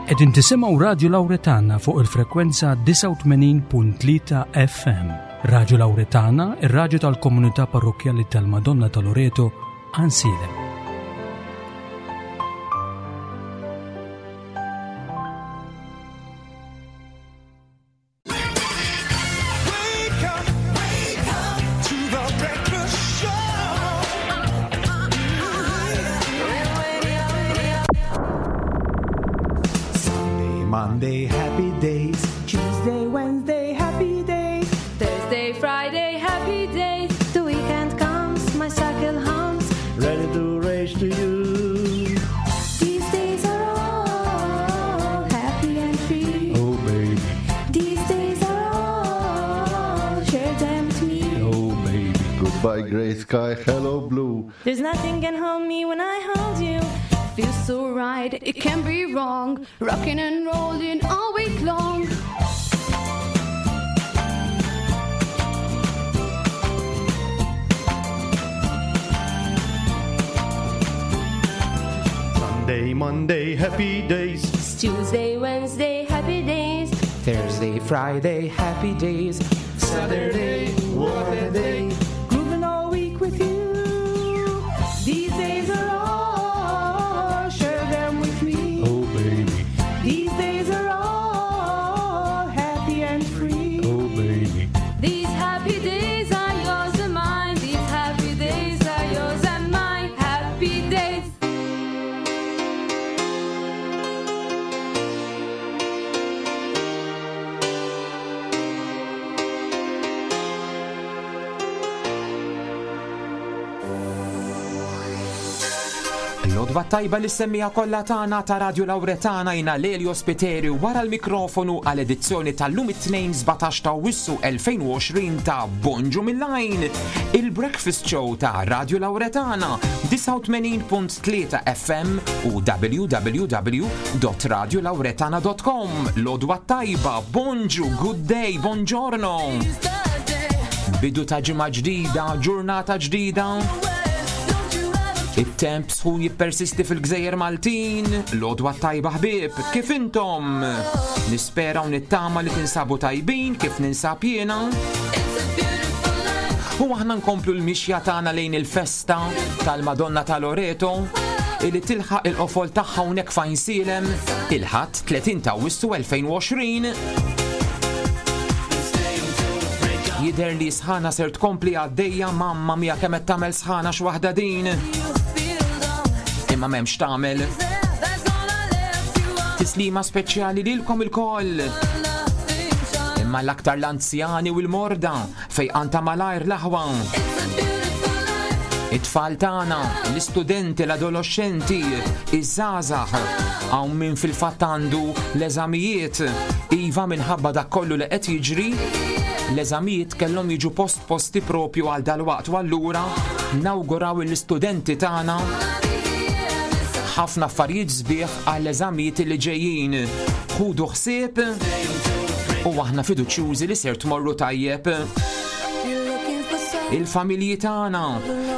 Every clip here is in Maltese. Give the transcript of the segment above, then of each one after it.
Qegħdin tisimgħu Radju Lawretana fuq il-frekwenza 89.3 FM. Radju Lawretana, ir-radju tal-komunità parrokkjali tal-Madonna ta' Loreto, Għansielem. Sunday, Monday, happy days. Tuesday, Wednesday, happy days. Thursday, Friday, happy days. The weekend comes, my cycle hums. Ready to race to you. These days are all happy and free. Oh, baby. These days are all share them with me. Oh, baby. Goodbye, gray sky. Hello, blue. There's nothing can hold me when I hold you. Feels so right, it can't be wrong. Rocking and rolling all week long. Sunday, Monday, happy days. It's Tuesday, Wednesday, happy days. Thursday, Friday, happy days. Saturday, what a day. Grooving all week with you. These days are all, share them with me. Oh, baby. These days are all happy and free. Oh, baby. These happy days are yours and mine. These happy days are yours and mine. Happy days. L-odwa tajba li semmija kollha tagħna ta' Radio Lawretana jina Lelio Spiteri wara l-mikrofonu għal edizzjoni tal-lum it-tnejn 17 ta' Wissu 2020 ta' Bonġu mill-Għajn, il-Breakfast Show ta' Radio Lawretana 89.3 FM u www.radiolawretana.com. L-odwa tajba, bonġu, good day, buongiorno. Bidu ta' ġimgħa ġdida, ġurnata ġdida. It-temp sħun jippersisti fil-gżejjer Maltin, l-odwa tajba ħbieb, kif intom? Nispera u nittama li tinsabu tajbin kif ninsab jiena. U aħna nkomplu l-mixja tagħna lejn il-festa tal-Madonna ta' Loreto illi tilħaq il-qofol tagħha hawnhekk f'Għajnsielem il-Ħadd 30 ta' Awwissu 2020. Jidher li sħana ser tkompli għaddejja mamma mia kemm qed tagħmel sħana x'waħda din. Imma m'hemmx tagħmel. Tislima speċjali lilkom ilkoll. Imma l-aktar l-anzjani u l-morda fejqan ta' malajr l-aħwa. It-tfal tagħna, l-istudenti, l-adoloxxenti, iż-żgħażagħ, hawn min fil-fatt għandu l-eżamijiet, iva minħabba dak kollu li qed jiġri, l-eżamijiet kellhom jiġu postposti propju għal dalwaqt u allura nawguraw l-istudenti tagħna ħafna affarijiet sbieħ għall-eżamijiet li ġejjin. Ħudu ħsieb u aħna fiduċjużi li ser tmorru tajjeb. Il-familji tagħna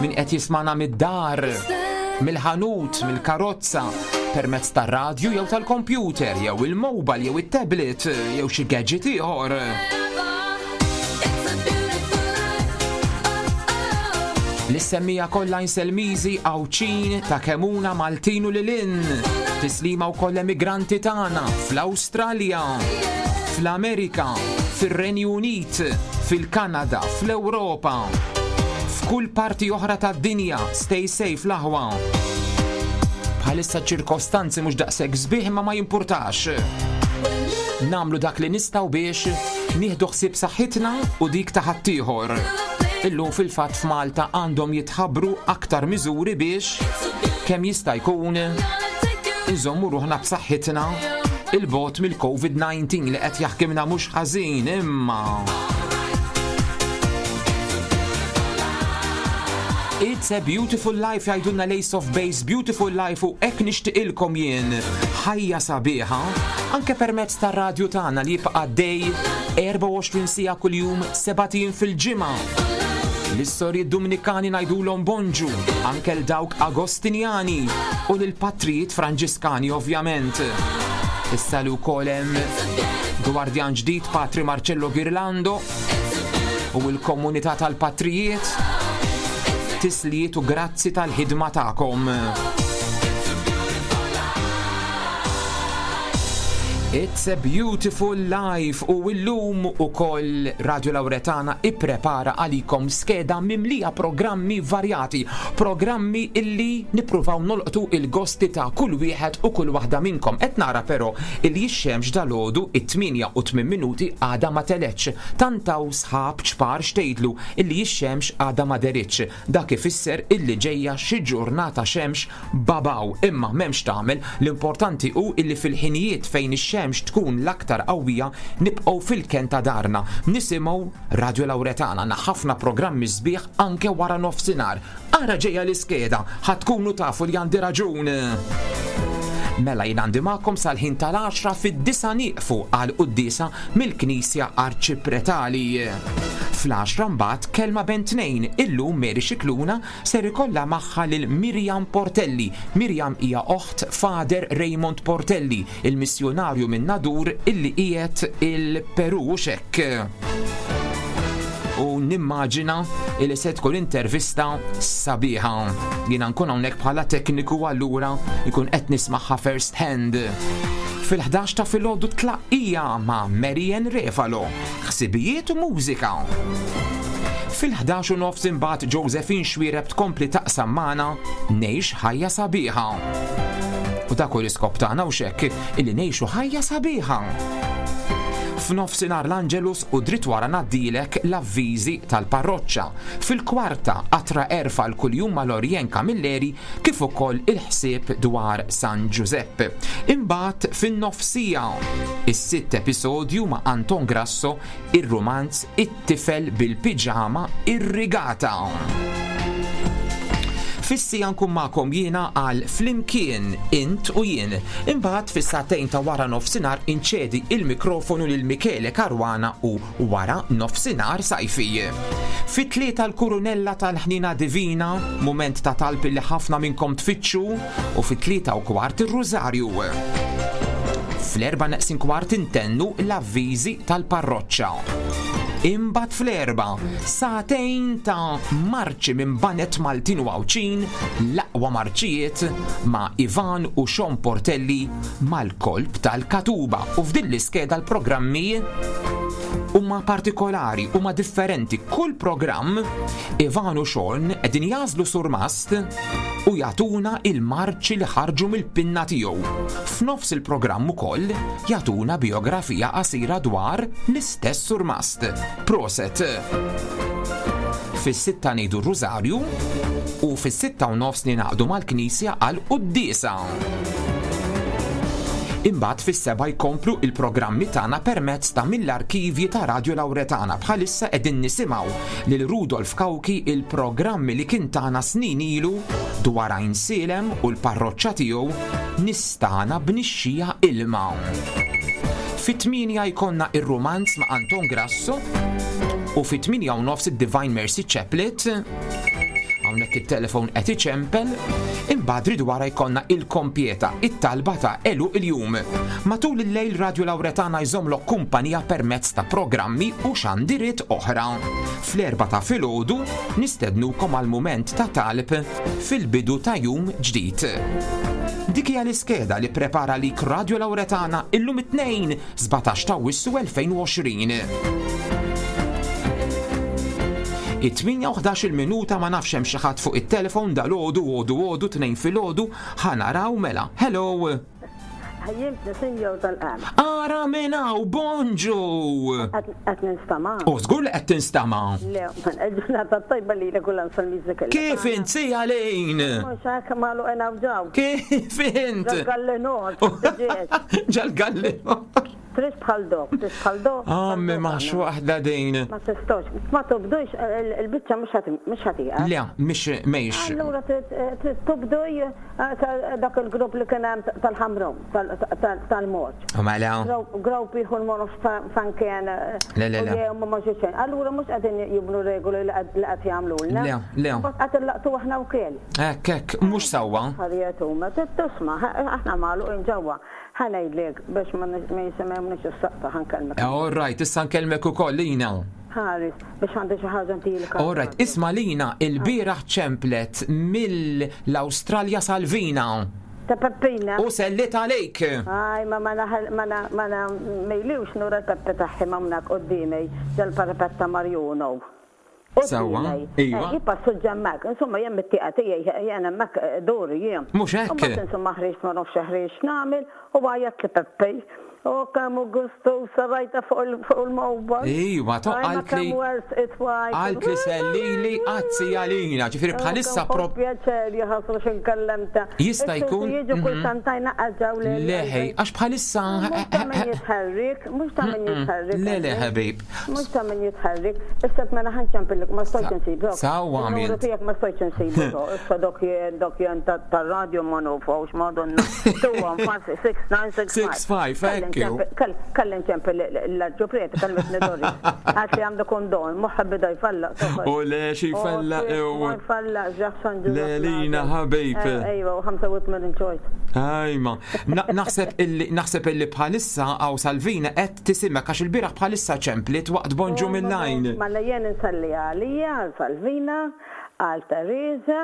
min qed jismana mid-dar, mill-ħanut, mill-karozza, permezz tar-radju jew tal-kompjuter, jew il-mobile jew it-tablet, jew xi gadget ieħor. L-semmija kollha Inselmiżi, Għawdxin, ta' Kemuna, Maltin u lilin. Tislima wkoll emigranti tagħna fl-Awstralja, fl-Amerika, fir-Renju Unit, fil-Kanada, fl-Ewropa, f'kull parti oħra tad-dinja. Stay safe l-aħwa. Bħalissa ċirkostanzi mhux daqshekk sbieħ imma ma jimpurtax. Namlu dak li nistgħu biex nieħdu ħsieb saħħitna u dik ta' ħaddieħor. Illum fil-fatt f'Malta għandhom jitħabbru aktar miżuri biex kemm jista' jkun inżommu ruħna b'saħħitna il-bot mill-COVID-19 li qed jaħkimna mhux ħażin imma. It's a beautiful life jgħidulna l-Ace of Base, beautiful life u hekk nixtieqilkom jien ħajja sabiħa anke permezz tar-radju tagħna li jibqa' għaddej 24 siegħa kuljum sebat ijiem fil-ġimgħa. L-istorji Dumnikani ngħidulhom bonġu, anke l dawk Agostinjani u lill-patrijiet Franġiskani ovvjament. Issa li wkoll hemm gwardjan ġdid Patri Marcello Girlando u l-komunità tal-patrijiet tislijiet u grazzi tal-ħidma tagħkom. It's a beautiful life u illum ukoll Radio Lauretana ipprepara għalikom skeda mimlija programmi varjati, programmi illi nippruvaw nolqtu il-gosti ta' kull wieħed u kull waħda minnkom. Qed nara però illi x-xemx dalgħodu it-8 u 8 minuti għadha ma telgħetx. Tant hawn sħab ċpar x'tgħidlu illi x-xemx għadha ma deritx. Dak ifisser illi ġejja xi ġurnata xemx Babaw, imma m'hemm x'tagħmel, l-importanti hu illi fil-ħinijiet fejn ix-xemx tkun l-aktar qawwija nibqgħu fil-kenn ta' darna, nisimgħu Radio Lauretana, għandna ħafna programmi sbieħ anke wara nofsinhar. Ara ġejja l-iskeda, ħa tkunu tafu li għandi raġun! Mela jien għandi magħkom sal-ħin tal-għaxra fid-disgħa nieqfu għal quddiesa mill-Knisja Arċipretali. Fl-għaxra mbagħad kelma bejn tnejn, illum Mary Scicluna Ser ikollha magħha lil Miriam Portelli. Miriam hija oħt Father Raymond Portelli, il-missjunarju minn Nadur illi qiegħed il-Peru, hux hekk? U nimmaġina illi se tkun intervista sabiħa. Jiena nkun hawnhekk bħala tekniku allura jkun qed nismagħha first hand. Fil-11 ta' filgħodu tlaqqija ma' Marian Refalo. Ħsibijiet u mużika. Fil-11 u nofs imbagħad Josephine Xuereb tkompli taqsam magħna Ngħix ħajja sabiħa. U dak hu l-iskop tagħna u xekk illi ngħixu ħajja sabiħa. F'nofsinhar l-Angelus u dritt wara ngħaddilek l-avviżi tal-parroċċa. Fil-kwarta qatra għerf għal kuljum ma' Lorien Camilleri kif ukoll il-ħsieb dwar San Ġużepp. Imbagħad fin-nofsija, is-sitt episodju ma' Anton Grasso, ir-rumanz It-tifel bil-piġama irrigata. Fis-sija nkun magħkom jiena għal Flimkien Int u Jien. Imbagħad fis-sagħtejn ta' wara nofsinhar inċedi il-mikrofonu lil Michele Caruana u wara nofsinhar sajfi. Fit-tlieta l-Kurunella tal-Ħniena Divina, mument ta' talb li ħafna minnkom tfittxu, u fit-3:15 ir-Rużarju. Fl-erba' neqsin kwart intennu l-avviżi tal-parroċċa. Imbagħad fl-erba' sagħtejn ta' marċi minn banet Maltin u Għawdxin, l-aqwa marċijiet ma' Ivan u Sean Portelli mal-kolb tal-Katuba u f'din l-iskeda l-programmi huma partikolari, huma differenti. Kull programm Ivan u Sean qegħdin jagħżlu surmast u jagħtuna il-marċi li ħarġu mill-pinna tiegħu. F'nofs il-programm ukoll jagħtuna bijografija qasira dwar l-istess surmast. Proset! Fis-sitta ngħidu r-Rużarju u fis-6:30 ningħaqdu mal-Knisja għal quddiesa. Imbagħad fis-sebgħa jkomplu il-programmi tagħna permezz ta' mill-arkivji ta' Radio Lauretana. Bħalissa qegħdin nisimgħu lil Rudolf Cauchi il-programmi li kien tagħna snin ilu dwar Għajnsielem u l-parroċċa tiegħu Nistagħna b'nixxija ilma. Fit-tmienja jkollna ir-rumanz ma' Anton Grasso u fit-8:30 id-Divine Mercy Chaplet. Hawnhekk it-telefon qed iċempel, imbagħad rid wara jkollna il-kompjeta, it-talba ta' għeluq il-jum. Matul il-lejl Radio Lauretana jżommlok kumpanija permezz ta' programmi u xandiriet oħra. Fl-erbgħa ta' filgħodu nistednukom għal mument ta' talb fil-bidu ta' jum ġdid. Dik hija l-iskeda li pprepara lik Radio Lauretana illum it-Tnejn 17 ta' Awwissu 2020. It-8 u 11 minuta ma nafx hemm xi ħadd fuq it-telefon dal-għodu għodu għodu tnejn filgħodu ħa naraw mela. Hello. Ħajjimtni sinjor tal-qam. Ara minn hawn, bonġu! Qed ninstama'. U żgur li qed tinstama'. Le, il-ġurnata tajba li lek u l-ansalmiżi kellha. Kif int si għalin? Mhux hekk magħluqin hawn ġew. Kif int? Ġal-gallinu. Ġal-gallinu. Trid bħal dok, trid bħal dok. Għammi ah, maħx waħda din. Ma tistax, ma tobdux il-biċċa mhux ħatiqa. Le, mhix mhix. Allura trid tobduj eh, dak il-grupp li kien hemm tal-ħamrum, tal-moċ. Mela. Grupp ieħor ma nafx fan kien. Eh, le, le, le. Ma xejn. Allura mhux qegħdin jibnu regoli li qed jagħmlulna. Le, le. Qed illaqtu aħna wkoll. Hekk, hekk, mhux sewwa. Affarijiet huma, trid tisma', aħna magħluqin ġewwa. Ħa ngħidlek biex ma jisimgħunix is-saqta ħa nkellmek. All right, issa nkellmek ukoll Lina. Ħares, biex għandi xi ħaġa ntilek. All right, isma' Lina, ilbieraħ ċemplet mill-Awstralja Salvina. Ta' Peppina. U selliet għalik. Aj, ma ma ma ma mejliwx nura l-Peppe tagħhi hawnhekk quddiemi ġal-parapet ta' Marjuno. Sewwa, iva. Hi passuġġa hemmhekk. Insomma, jien mit-tieqa tiegħi jien hemmhekk duri jien. Mhux hekk? U mbagħad insomma ħriġt ma nafx ħriġt x'nagħmel u għajjatli Peppi. U kemm hu gustuża rajtha fuq il-mobile. Iva, to qaltli. Qaltli sellili għazzi għalina, ġifieri bħalissa pro. Pjaċer jaħasru x'inkellemta. Jista' jkun. Jiġu kull santajna qaġġaw li. Leħej, għax bħalissa. Mhux ta' min jitħarrik, mhux ta' min jitħarrik. Le le ħabib. Mhux ta' min jitħarrik. Issa mela ħa nċempillek ma stajtx insibok. Sewwa għamilt. Il-numru tiegħek ma stajtx insibu. Issa dok jien dok jien tar-radju ma nufhux madonna. 215 6965. 65, hekk hu. Kelli nċempel l-arċipriet, kellmitni Doris. Għax li għandu kondon, moħħi bida jfallaq. U le xi jfallaq ew. Ma jfallaq ġaħsan ġu. Le lina ħabib. Ejwa, u 85 ċojt. Ajma. Naħseb illi naħseb illi bħalissa hawn Salvina qed Tisimek għax il-bieraħ bħalissa ċemplit waqt Bonġu mill-Għajn. Mela jien insalli għalija, għal Salvina, għal Teresa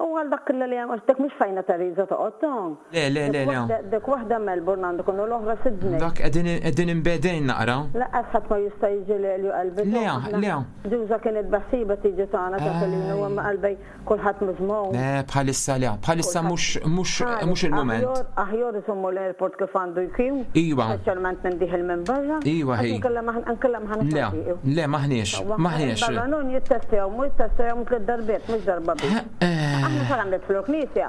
u għal dak kollha li hemm għax dik mhux fejna Teresa toqgħod ta. Le, le, le, le. Dik waħda Melbourne għandu jkun u l-oħra Sydney. Dak qegħdin qegħdin imbegħdin naqra. Lanqas ħadd ma jista' jiġi l-Elju qalbi. Le, le. Ġuża kienet beħsiebha tiġi tagħna ta' Pelino imma qalbi Kulħadd miżmum. Le, bħalissa le, bħalissa mhux mhux mhux il-mument. Aħjar iżommu l-airport kif għandu jkun. Iva. Speċjalment minn dieħel minn barra. Iva hi. Inkella maħniex. Le, le maħniex, maħniex. Barra nun jittestjaw, mhu jittestjaw tliet darbiet, mhux darba biss. Aħna sakemm nidħlu l-knisja,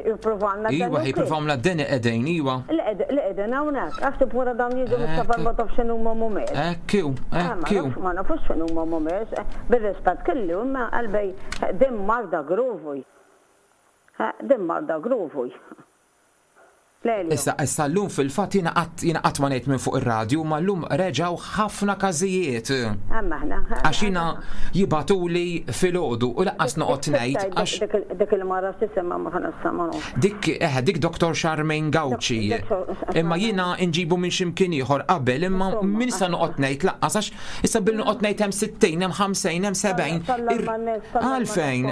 jippruvawna. Iva, jippruvawna d-deni qegħdin, iva. Li qegħdin hawnhekk, għax tip wara dawn jiġu mis-safar ma tafx x'inhuma mhumiex. Hekk hu, hekk hu. Ma nafux x'inhuma mhumiex, bir-rispett kelli, imma qalbi din marda gruvuj. Din marda gruvuj. Lelio. Issa, issa llum fil-fatt jiena qatt jiena qatt ma ngħid minn fuq ir-radju, imma llum reġgħu ħafna każijiet. Hemm aħna. Għax jiena jibagħtuli filgħodu u lanqas noqgħod ngħid għax. Dik il-mara x'isimha ma nafx ma nafx. Dik eħe dik Dr. Charmaine Gauci. Imma jiena nġibu minn xi mkien ieħor qabel imma min issa noqgħod ngħid lanqas għax Issa billi noqgħod ngħid hemm 60, hemm 50, hemm 70. Għalfejn,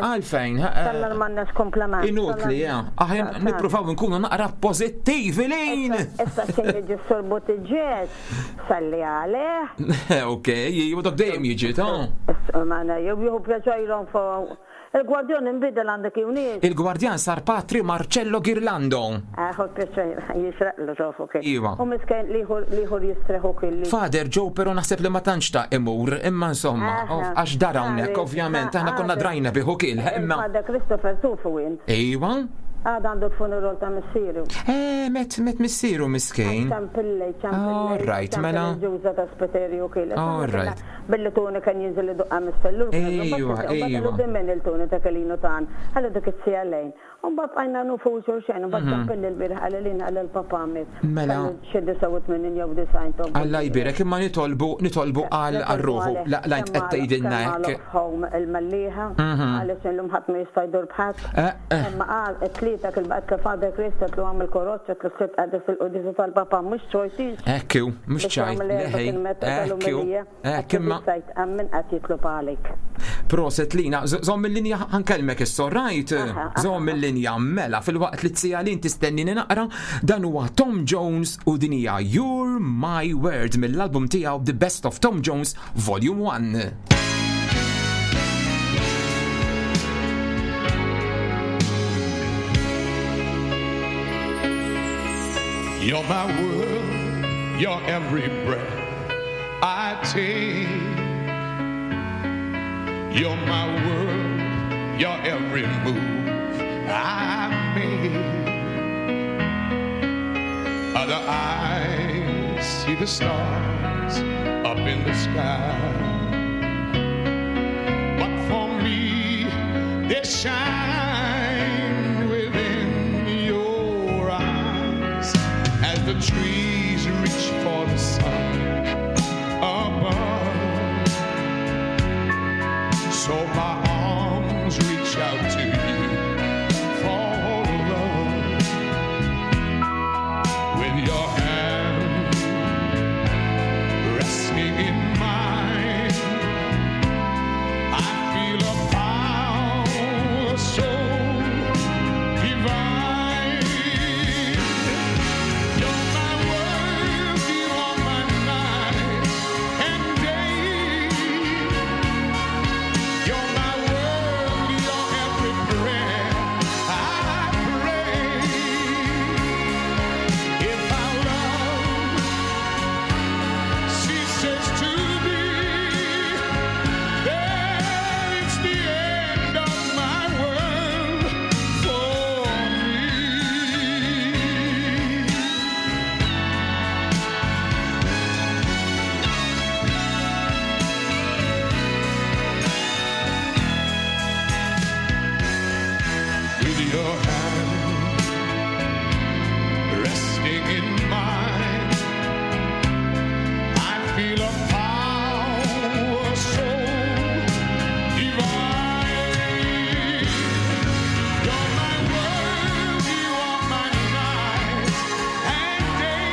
għalfejn. Inutli, aħjar nippruvaw nkunu naqra pożittivi lin. Issa xejn jiġi s-sur Buttigieg, salli għalih. Ok, jew dak dejjem jiġi ta'. Jew jieħu pjaċajrhom fuq Il-gwardjan inbidel għandek jew nies? Il-gwardjan sar Patri Marcello Ghirlando. Ħu pjaċir, jixraqlu tofu kien. Iva. U miskin l-ieħor jistrieħ ukoll. Father Joe però naħseb li ma tantx ta' imur, imma insomma, għax dar hawnhekk ovvjament aħna konna drajna bih ukoll, imma. Father Christopher tufu int. Iva. Għad għandu l-funeral ta' missieru. Eh, met met missieru miskin. Ċampilli, ċampilli. All right, mela. Ġuża ta' Spiteri u kien. All right. Billi Toni kien jinżel idoqqa mis-sellur, Ejwa, ejwa. Din min il-Toni ta' Kelinu tan, ħalli dik it-sija lejn. U mbagħad bqajna nufu xulxin, u mbagħad ċempilli l-bieraħ qalli lin qalli l-papà miet. Mela. Kellu xi 89 jew 90 tob. Alla jbierek, imma nitolbu, nitolbu għal għal ruħu, la la int qed tgħidilna Kemm hekk. għalaq f'home il-Mellieħa, għaliex illum ħadd ma jista' jdur b'ħadd. Imma qal it-Tlieta kien baqgħet li Father Chris għedtlu agħmel kuraġġ għedtlu s-Sibt qegħda fil-quddiesa tal-papà mhux ċojtix. Hekk hu, mhux ċajt, le ħej, hekk hu. Hekk imma. Min qed jitlob għalik. Proset Lina, żomm il-linja ħankellmek issa, right? Żomm il-linja mela filwaqt li t-sija lin tistennini naqra, dan huwa Tom Jones u din hija You're My World mill-album tiegħu The Best of Tom Jones Volume 1. You're my world, you're every breath I take. You're my world, you're every move I make. Other eyes see the stars up in the sky. But for me, they shine within your eyes as the trees reach for the sun above. So my arms reach out to you for love. Your hand resting in mine. I feel a power so divine. You're my world, you are my night and day.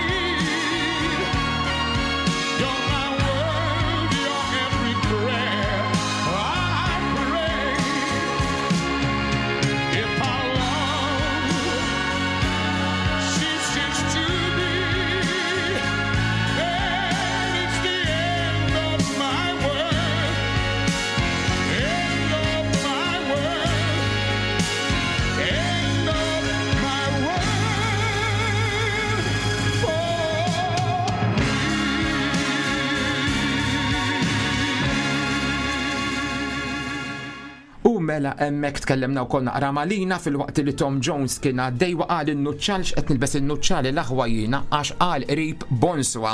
You're my world, you're every prayer I pray. If our love ceases to be, then it's the end of my world, end of my world, end of my world for U mela hemmhekk tkellemna wkoll naqra malina filwaqt li Tom Jones kien għaddej wa qal in-nuċċal x'qed nilbes in-nuċċali l-aħwa jiena għax qal qrib bonswa.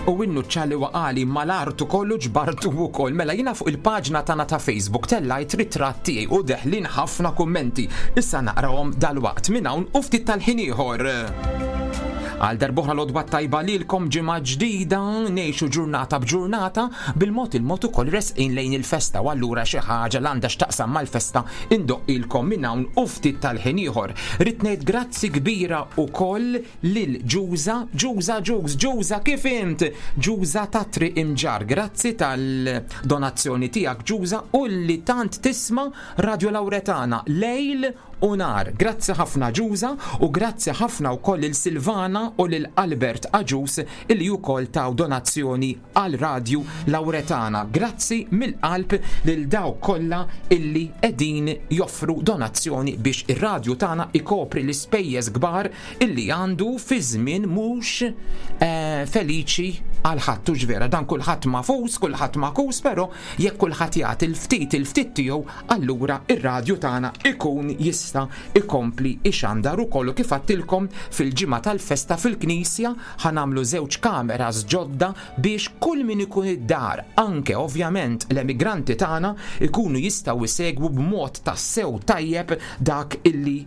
U in-nuċċali waqali mal-artu kollu ġbartu wkoll. Mela jiena fuq il-paġna tagħna ta' Facebook tellajt ritratt tiegħi u deħlin ħafna kummenti. Issa naqrahom dalwaqt minn hawn u ftit tal-ħin ieħor. Għal darb'oħra l-għodwa t-tajba lilkom, ġimgħa ġdida, ngħixu ġurnata b'ġurnata, bil-mod il-mod ukoll resqin lejn il-festa u allura xi ħaġa l għandha x'taqsam mal-festa indoqqilkom minn hawn u ftit tal-ħin ieħor. Ridt ngħid grazzi kbira ukoll lil Ġuża, Ġuża, Ġuż, Ġuża kif int? Ġuża ta' Triq Imġarr, grazzi tal-donazzjoni tiegħek Ġuża u li tant tisma' Radio Lauretana lejl u nhar. Grazzi ħafna Ġuża u grazzi ħafna wkoll lil Silvana u lil Albert Agius illi wkoll taw donazzjoni għal Radju Lauretana. Grazzi mill-qalb lil dawk kollha illi qegħdin joffru donazzjoni biex ir-radju tagħna ikopri l-ispejjeż kbar illi għandu fi żmien mhux eh, feliċi għal ħadd hux vera. Dan kulħadd mafus, kulħadd makus, però jekk kulħadd jagħti l-ftit il-ftit tiegħu allura ir-radju tagħna ikun jista' ikompli ixandar ukoll u kif għadtilkom fil-ġimgħa tal-festa fil-knisja ħa nagħmlu żewġ kameras ġodda biex kull min ikun id-dar, anke ovvjament l-emigranti tagħna ikunu jistgħu jsegwu b'mod tassew tajjeb dak illi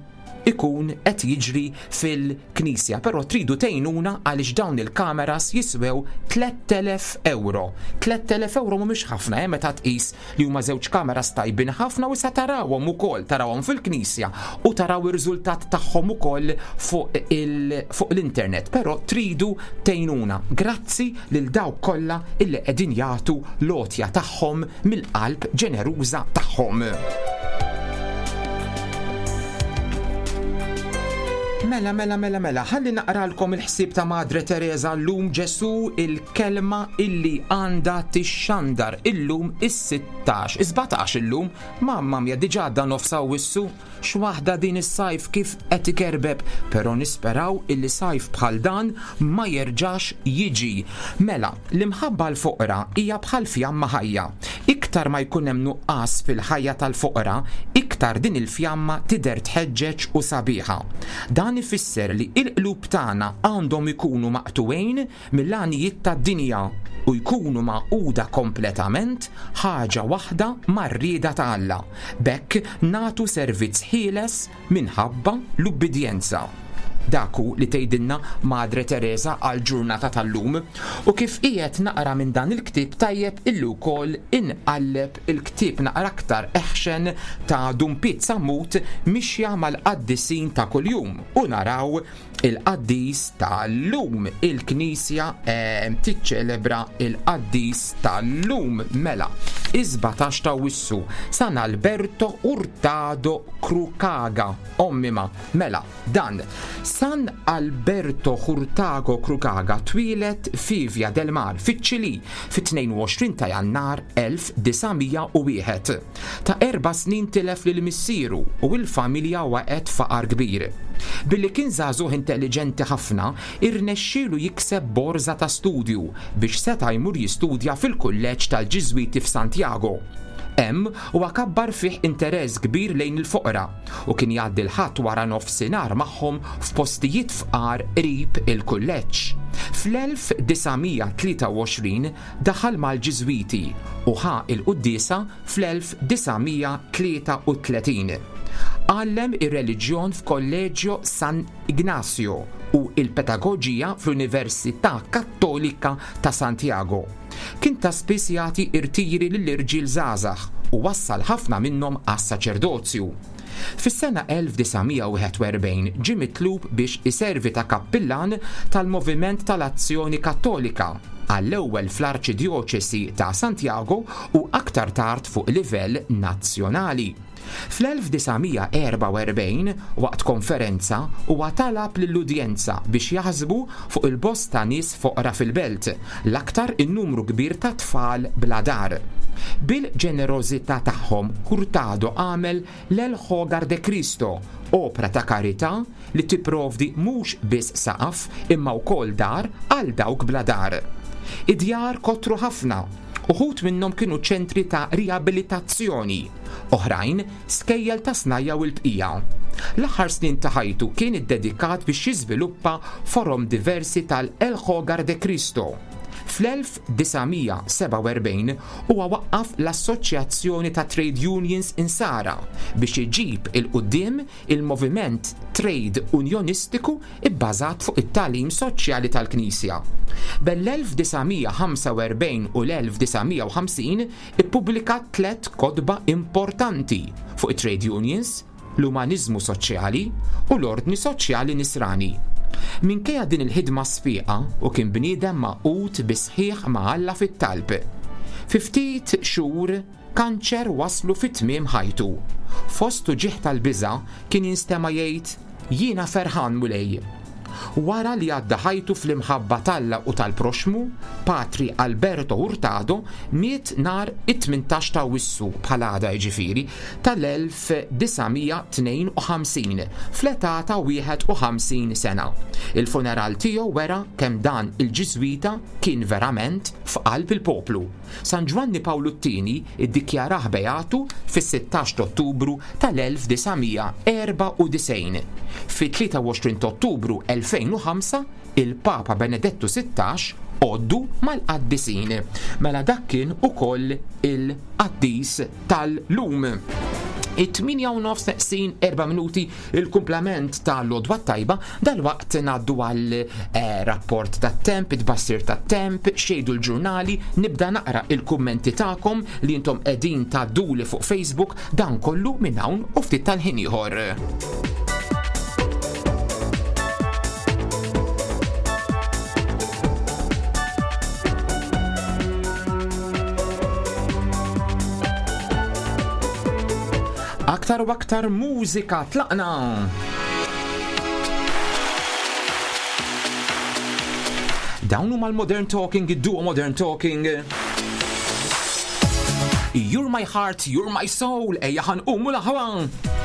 ikun qed jiġri fil-knisja. Però tridu tgħinuna għaliex dawn il-kameras jiswew 3000 euro. 3000 euro mhumiex ħafna eh, meta tqis li huma żewġ kameras tajbin ħafna u issa tarawhom ukoll, tarawhom fil-knisja u taraw ir-riżultat tagħhom ukoll fuq fuq l-internet. Però tridu tgħinuna. Grazzi lil dawk kollha illi qegħdin jagħtu l-għotja tagħhom mill-qalb ġeneruża tagħhom. Mela, mela, mela, mela, ħalli naqralkom il-ħsieb ta' Madre Teresa llum Ġesu il-kelma illi għandha tixxandar illum is-sittax, is-sbatax illum, mamma mia diġà għadda nofs Awwissu, x'waħda din is-sajf kif qed ikerbeb, però nisperaw illi sajf bħal dan ma jerġax jiġi. Mela, l-imħabba għall-foqra hija bħal fjamma ħajja. Iktar ma jkun hemm nuqqas fil-ħajja tal-foqra, iktar din il-fjamma tidher tħeġġeġ u sabiħa. Dan ifisser li il-qlub tagħna għandhom ikunu maqtugħin mill-għanijiet tad-dinja u jkunu magħquda kompletament ħaġa waħda mar-rieda ta' Alla. B'hekk nagħtu servizz ħieles minħabba l-ubbidjenza. Dak hu li tgħidilna Madre Teresa għall-ġurnata tal-lum. U kif qiegħed naqra minn dan il-ktieb tajjeb illi wkoll inqalleb il-ktieb naqra aktar eħxen ta' Dun Piet Sammut Mixja mal-Qaddisin ta' Kuljum u naraw Il-qaddis tal-lum, il-Knisja tiċċelebra il-qaddis tal-lum mela, is-17 ta' Awwissu, San Alberto Hurtado Crucaga, ommima, mela, dan. San Alberto Hurtado Crucaga twieled fi Via del Mar, fiċ-Ċilì, fit-22 ta' Jannar 1901. Ta' erba' snin tilef lil missieru u l-familja waqgħet f'faqar kbir. Billi kien żagħżugħ intelliġenti ħafna, irnexxielu jikseb borża ta' studju biex seta' jmur jistudja fil-kulleġġ tal-Ġiżwiti f'Santiago. Hemm huwa kabbar fih interess kbir lejn il-foqra u kien jgħaddi l-Ħadd wara nofsinhar magħhom f'postijiet fqar qrib il-kulleġġ. Fl-1923 daħal mal-Ġiżwiti u ħa l-quddiesa fl-1933. Għallem ir-reliġjon f'Collegio San Ignacio u l-pedagoġija fl-Università Kattolika ta' Santiago. Kien ta' spiss jagħti irtiri lill-irġiel żgħażagħ u wassal ħafna minnhom għas-saċerdozju. Fis-sena 1941 ġie mitlub biex iservi ta' kappillan tal-Moviment tal-Azzjoni Kattolika, għall-ewwel fl-Arċidjoċesi ta' Santiago u aktar tard fuq livell nazzjonali. Fl-1944, waqt konferenza, huwa talab lill-udjenza biex jaħsbu fuq il-bosta nies foqra fil-belt, l-aktar in-numru kbir ta' tfal bla dar. Bil-ġenerożità tagħhom, Hurtado għamel l-El Hogar de Cristo, opra ta' karità li tipprovdi mhux biss saqaf imma wkoll dar għal dawk bla dar. Id-djar kotru ħafna, uħud minnhom kienu ċentri ta' riabilitazzjoni, oħrajn skejjel ta' snajja' u l-bqija. L-aħħar snin ta' ħajtu kien iddedikat biex jiżviluppa forom diversi tal-El Hogar de Cristo. Fl-1947 huwa waqqaf l-Assoċjazzjoni ta' Trade Unions Insara biex iġib 'il quddiem il-moviment trade unjonistiku bbażat fuq it-tagħlim soċjali tal-Knisja. Bejn l-1945 u l-1950 ippubblika tlett kotba importanti fuq it-trade unions, l-umaniżmu soċjali u l-ordni soċjali Nisrani. Minkejja din il-ħidma sfiqa u kien bniedem magħqud bis-sħiħ ma' Alla fit-talb. Fi ftit xhur kanċer wasslu fi tmiem ħajtu. Fost uġigħ tal-biża' kien jinstema' jgħid, Jiena ferħan Mulej. Wara li għadda ħajtu fl-imħabba t'Alla u tal-proxxmu, Patri Alberto Hurtado miet nhar it-18 ta' Awwissu, bħal għada jiġifieri, tal-1952, fl-età ta' 51 sena. Il-funeral tiegħu wera kemm dan il-Ġiżwita kien verament f'qalb il-poplu. San Ġwanni Pawlu t-Tieni ddikjarah beatu fis-16 t'Ottubru tal-1994. Fit-23 t'Ottubru 2005 il-Papa Benedettu 16 għoddu mal-qaddisin. Mela dak kien ukoll il-qaddis tal-lum. It-8 u nofs neqsin 4 minuti il-kumplament ta' l-odwa tajba dal-waqt ngħaddu għal eh, rapport tat-temp, it-bassir tat-temp, xejdu l-ġurnali, nibda naqra il-kummenti tagħkom li intom qegħdin tgħadduli fuq Facebook dan kollu minn hawn u ftit tal-ħin ieħor. Aktar u aktar mużika tlaqna! Dawn huma l-Modern Talking, id-duo Modern Talking. You're my heart, you're my soul, ejja ħanqumu l-aħwa.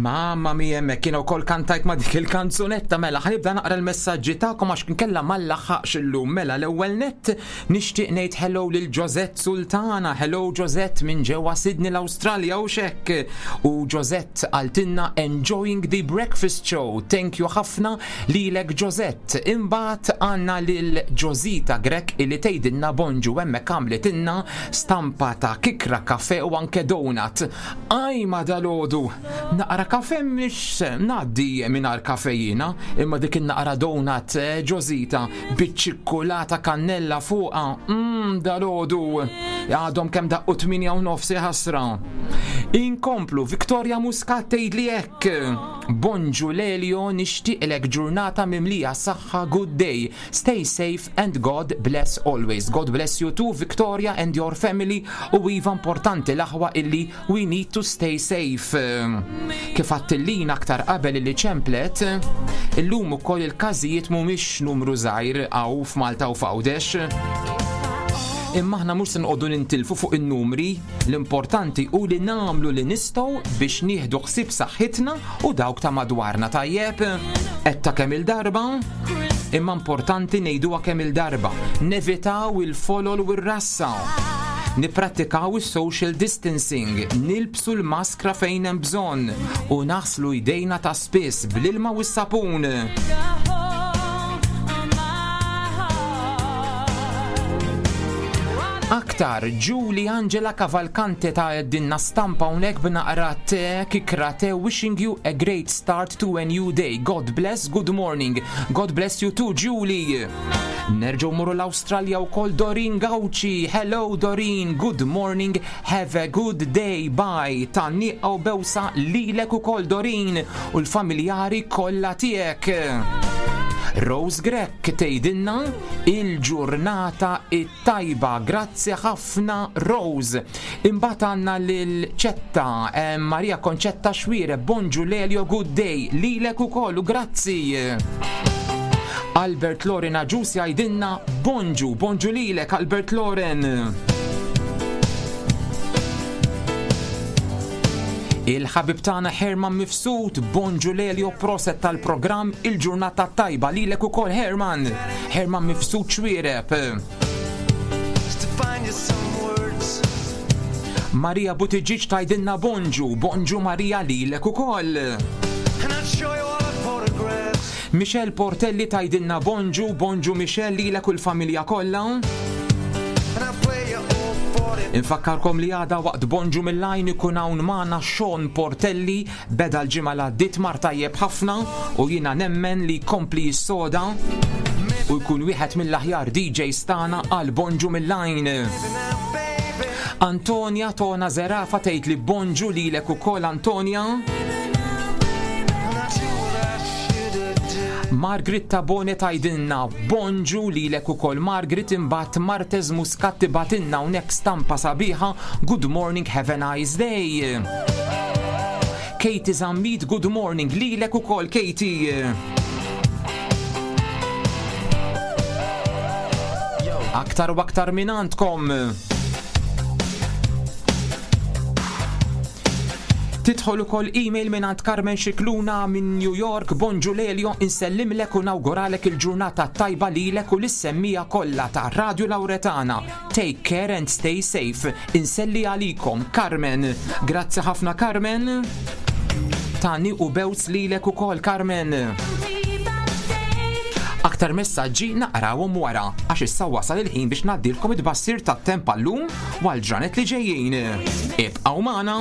Mamma mia hemmhekk jiena wkoll kantajt ma' dik il-kanzunetta mela ħanibda naqra l-messaġġi tagħkom għax inkella ma nlaħħaqx illum mela l-ewwel nett nixtieq ngħid hello lil Josette Sultana, hello Josette minn ġewwa Sydney l-Awstralja u xekk. U Josette qaltilna enjoying the breakfast show. Thank you ħafna lilek Josette. Imbagħad għandna lil Josita Grech illi tgħidilna bonġu hemmhekk għamlitilna stampa ta' kikra kafe u anke donut. Ajma dalgħodu! Naqra kafe mhix ngħaddi mingħajr kafe jiena, imma dik in-naqra donut eh, ġożita biċ-ċikkulata kannella fuqha, mmm dalgħodu! Għadhom kemm daqqu 8 u nofs ħasra. Inkomplu, Victoria Muscat tgħidli hekk. Bonġu Lelio nixtieqlek ġurnata mimlija saħħa good day. Stay safe and God bless always. God bless you too Victoria and your family u iva importanti l-aħwa illi we need to stay safe. Kif għattillina aktar qabel illi ċemplet, illum ukoll il-każijiet mhumiex numru żgħir hawn f'Malta u f'Għawdex. Imma aħna mhux se noqogħdu nintilfu fuq in-numri, l-importanti hu li nagħmlu li nistgħu biex nieħdu ħsieb saħħitna u dawk ta' madwarna tajjeb. Qed ta' kemm il-darba, imma importanti ngħiduha kemm il-darba. Nevitaw il-folol u r-rassa. Nipprattikaw is-social distancing, nilbsu l-maskra fejn hemm bżonn u naħslu jdejna ta' spiss bl-ilma u s-sapun. Aktar, Julie Angela Cavalcante ta' dinna stampa hawnhekk b'naqra te kikra te wishing you a great start to a new day. God bless, good morning. God bless you too, Julie. Nerġgħu muru l-Awstralja wkoll Doreen Gauci. Hello Doreen, good morning, have a good day, bye. Tgħanniqa u bewsa lilek ukoll Doreen u l-familjari kollha tiegħek. Rose Grech tgħidilna il-ġurnata it-tajba. Grazzi ħafna Rose. Imbagħad għandna lil Ċetta, eh, Maria Concetta Xwire, Bonġu Lelio, good day, lilek ukoll u grazzi. Albert Loren Aġus jgħidilna bonġu, bonġu lilek Albert Loren. Il-ħabib tagħna Herman Mifsud, bonġu Lelio proset tal-programm il-ġurnata tajba lilek ukoll Herman. Herman Mifsud Xwiereb. Maria Buttigieg tgħidilna bonġu, bonġu Maria lilek ukoll. Michelle Portelli tgħidilna bonġu, bonġu Michelle lilek u l-familja kollha. Infakkarkom li għada waqt Bonġu mill-Għajn ikun hawn magħna Sean Portelli beda l-ġimgħa l għaddiet mar tajjeb ħafna u jiena nemmen li jkompli jissoda u jkun wieħed mill-aħjar DJs tagħna għal Bonġu mill-Għajn. Antonia Tona Zerafa tgħid li bonġu lilek ukoll Antonia. Margaret Tabone tgħidilna bonġu lilek ukoll Margaret imbagħad Martez Muscat tibgħatilna hawnhekk stampa sabiħa good morning have a nice day. Katie Zammit good morning lilek ukoll Katie. Aktar u aktar minn għandkom. Tidħol ukoll email minn għand Carmen Xikluna minn New York, Bonġu Lelio, insellimlek u nawguralek il-ġurnata tajba lilek u lis-semmija kollha ta' Radio Lauretana. Take care and stay safe. Inselli għalikom, Carmen. Grazzi ħafna Carmen. Tani u bews lilek ukoll Carmen. Aktar messaġġi naqrawhom wara, għax issa wasal il-ħin biex ngħaddilkom it-tbassir tat-temp għallum u għall-ġranet li ġejjin. Ibqgħu magħna!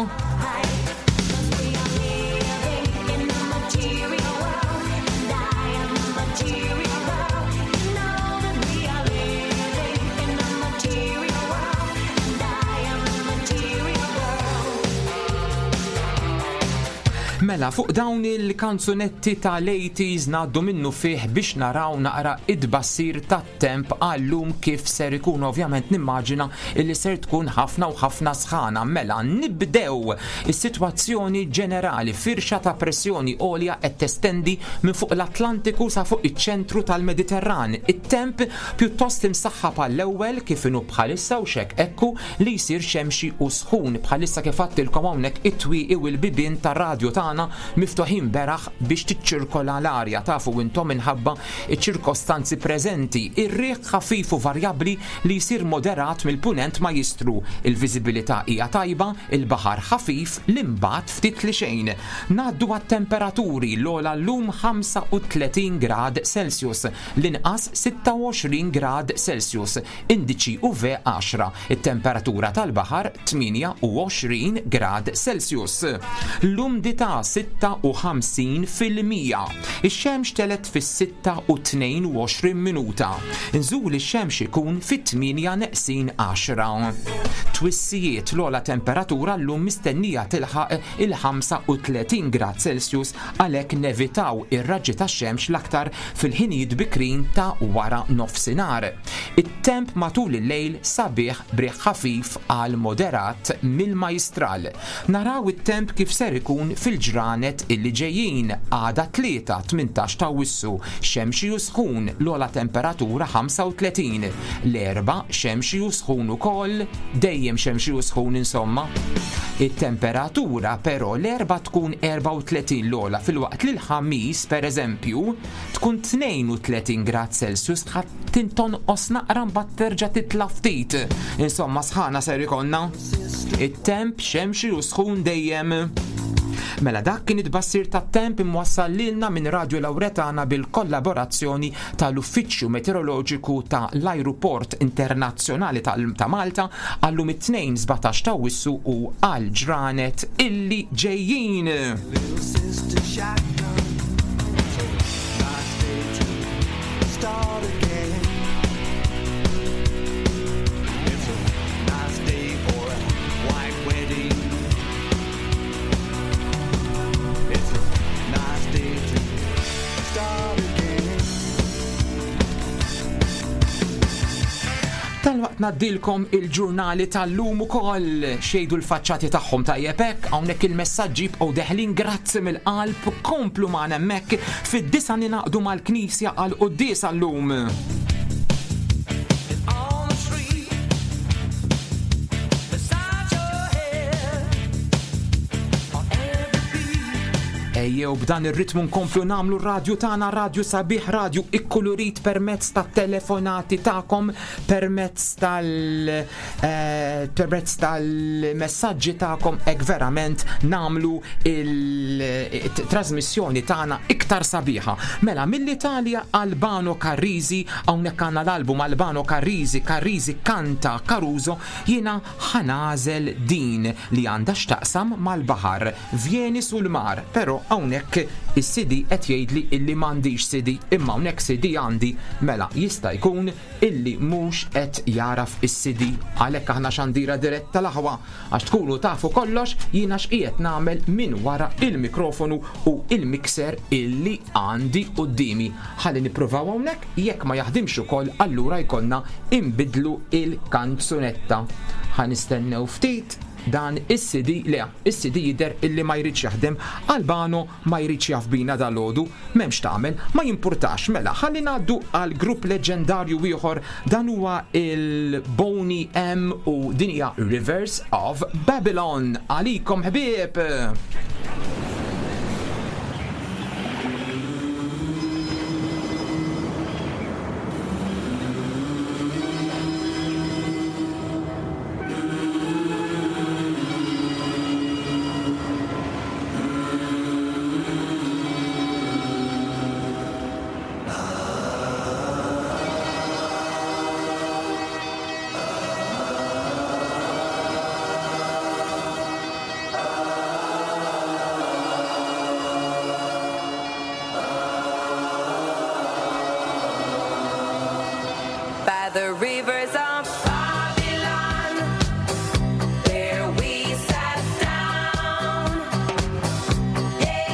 Mela, fuq dawn il-kanzunetti tal-80s ngħaddu minnufih biex naraw naqra it-tbassir tat-temp għal-lum kif ser ikun. Ovvjament nimmaġina illi ser tkun ħafna u ħafna sħana. Mela, nibdew is-sitwazzjoni ġenerali, firxa ta' pressjoni għolja qed testendi minn fuq l-Atlantiku sa fuq iċ-ċentru tal-Mediterran. It-temp pjuttost imsaħħab għall-ewwel kif inhu bħalissa u x'hekk ekku li jsir xemxi u sħun. Bħalissa kif għadtilkom hawnhekk it-twieqi u l-bibien tar-radju tagħna miftuħin beraħ biex tiċċirkola l-arja, tafu intom minħabba ċ-ċirkostanzi preżenti. Ir-riħ ħafif u varjabbli li jsir moderat mill-punent ma jistru. Il-viżibilità hija tajba, il-baħar ħafif, l-imbagħad ftit li xejn. Ngħaddu għat-temperaturi, l-ogħla llum 35 grad Celsius, l-inqas 26 grad Celsius. Indiċi UV 10, it-temperatura tal-baħar 28 grad Celsius. L-umdità 56%. Ix-xemx telgħet fis-sitta u 22 minuta. Nżul ix-xemx ikun fit-tmienja neqsin għaxra. Twissijiet, l-ogħla temperatura llum mistennija tilħaq il-35 grad Celsius għalhekk nevitaw ir-raġġi tax-xemx l-aktar fil-ħinijiet bikrin ta' wara nofsinhar. It-temp matul il-lejl sabiħ b'riħ ħafif għal moderat mill-Majstral. Naraw it-temp kif ser ikun fil-ġranet illi ġejjin, għada t-Tlieta 18 t'Awwissu, xemxi u sħun, l-ogħla temperatura 35. L-Erbgħa xemxi u sħun ukoll, dejjem xemxi u sħun insomma. It-temperatura però l-Erbgħa tkun 34 l-ogħla filwaqt li l-Ħamis pereżempju tkun 32 grad Celsius ħa tonqos naqra mbagħad terġa' titla' ftit. Insomma sħana ser ikollna. It-temp xemxi u sħun dejjem. Mela dak kien it-tbassir tat-temp imwassal lilna minn Radio Lauretana bil-kollaborazzjoni tal-Uffiċċju Meteoroloġiku ta' l-Ajruport Internazzjonali ta' Malta għallum it-Tnejn 17 ta' Awwissu u għal ġranet illi ġejjin. Dalwaqt ngħaddilkom il-ġurnali tal-lum ukoll xejdu l-faċċati tagħhom tajjeb hekk hawnhekk il-messaġġi jibqgħu deħlin grazzi mill-qalb komplu magħna hemmhekk fid-disa ninaqdu mal-Knisja għal quddiesa llum. Ejjew b'dan ir-ritmu nkomplu nagħmlu r-radju tagħna radju sabiħ, radju ikkulurit permezz tat-telefonati tagħkom, permezz tal eh, permezz tal-messaġġi tagħkom hekk verament nagħmlu il-trasmissjoni tagħna iktar sabiħa. Mela mill-Italja Albano Carrisi, hawnhekk għandna l-album Albano Carrisi, Carrisi kanta Caruso, jiena ħanażel din li għandha x'taqsam mal-baħar. Vieni sul mar, però hawnhekk is-CD qed jgħidli illi m'għandix CD, imma hawnhekk CD għandi, mela jista' jkun illi mhux qed jagħraf is-CD. Għalhekk aħna xandira diretta l-aħwa, għax tkunu tafu kollox jiena x'qiegħed nagħmel minn wara il-mikrofonu u il-mixer illi għandi quddiemi. Ħalli nippruvaw hawnhekk, jekk ma jaħdimx ukoll allura jkollna inbiddlu il-kanzunetta. Ħa nistennew ftit. Dan is-CD, le, is-CD jidher illi ma jridx jaħdem, Albano ma jridx jaf bina dalgħodu, m'hemm x'tagħmel, ma jimpurtax, mela ħalli ngħaddu għal grupp leġġendarju ieħor, dan huwa il-Boney M u din hija Rivers of Babylon. Għalikom ħbieb! By the rivers of Babylon, there we sat down. Yeah.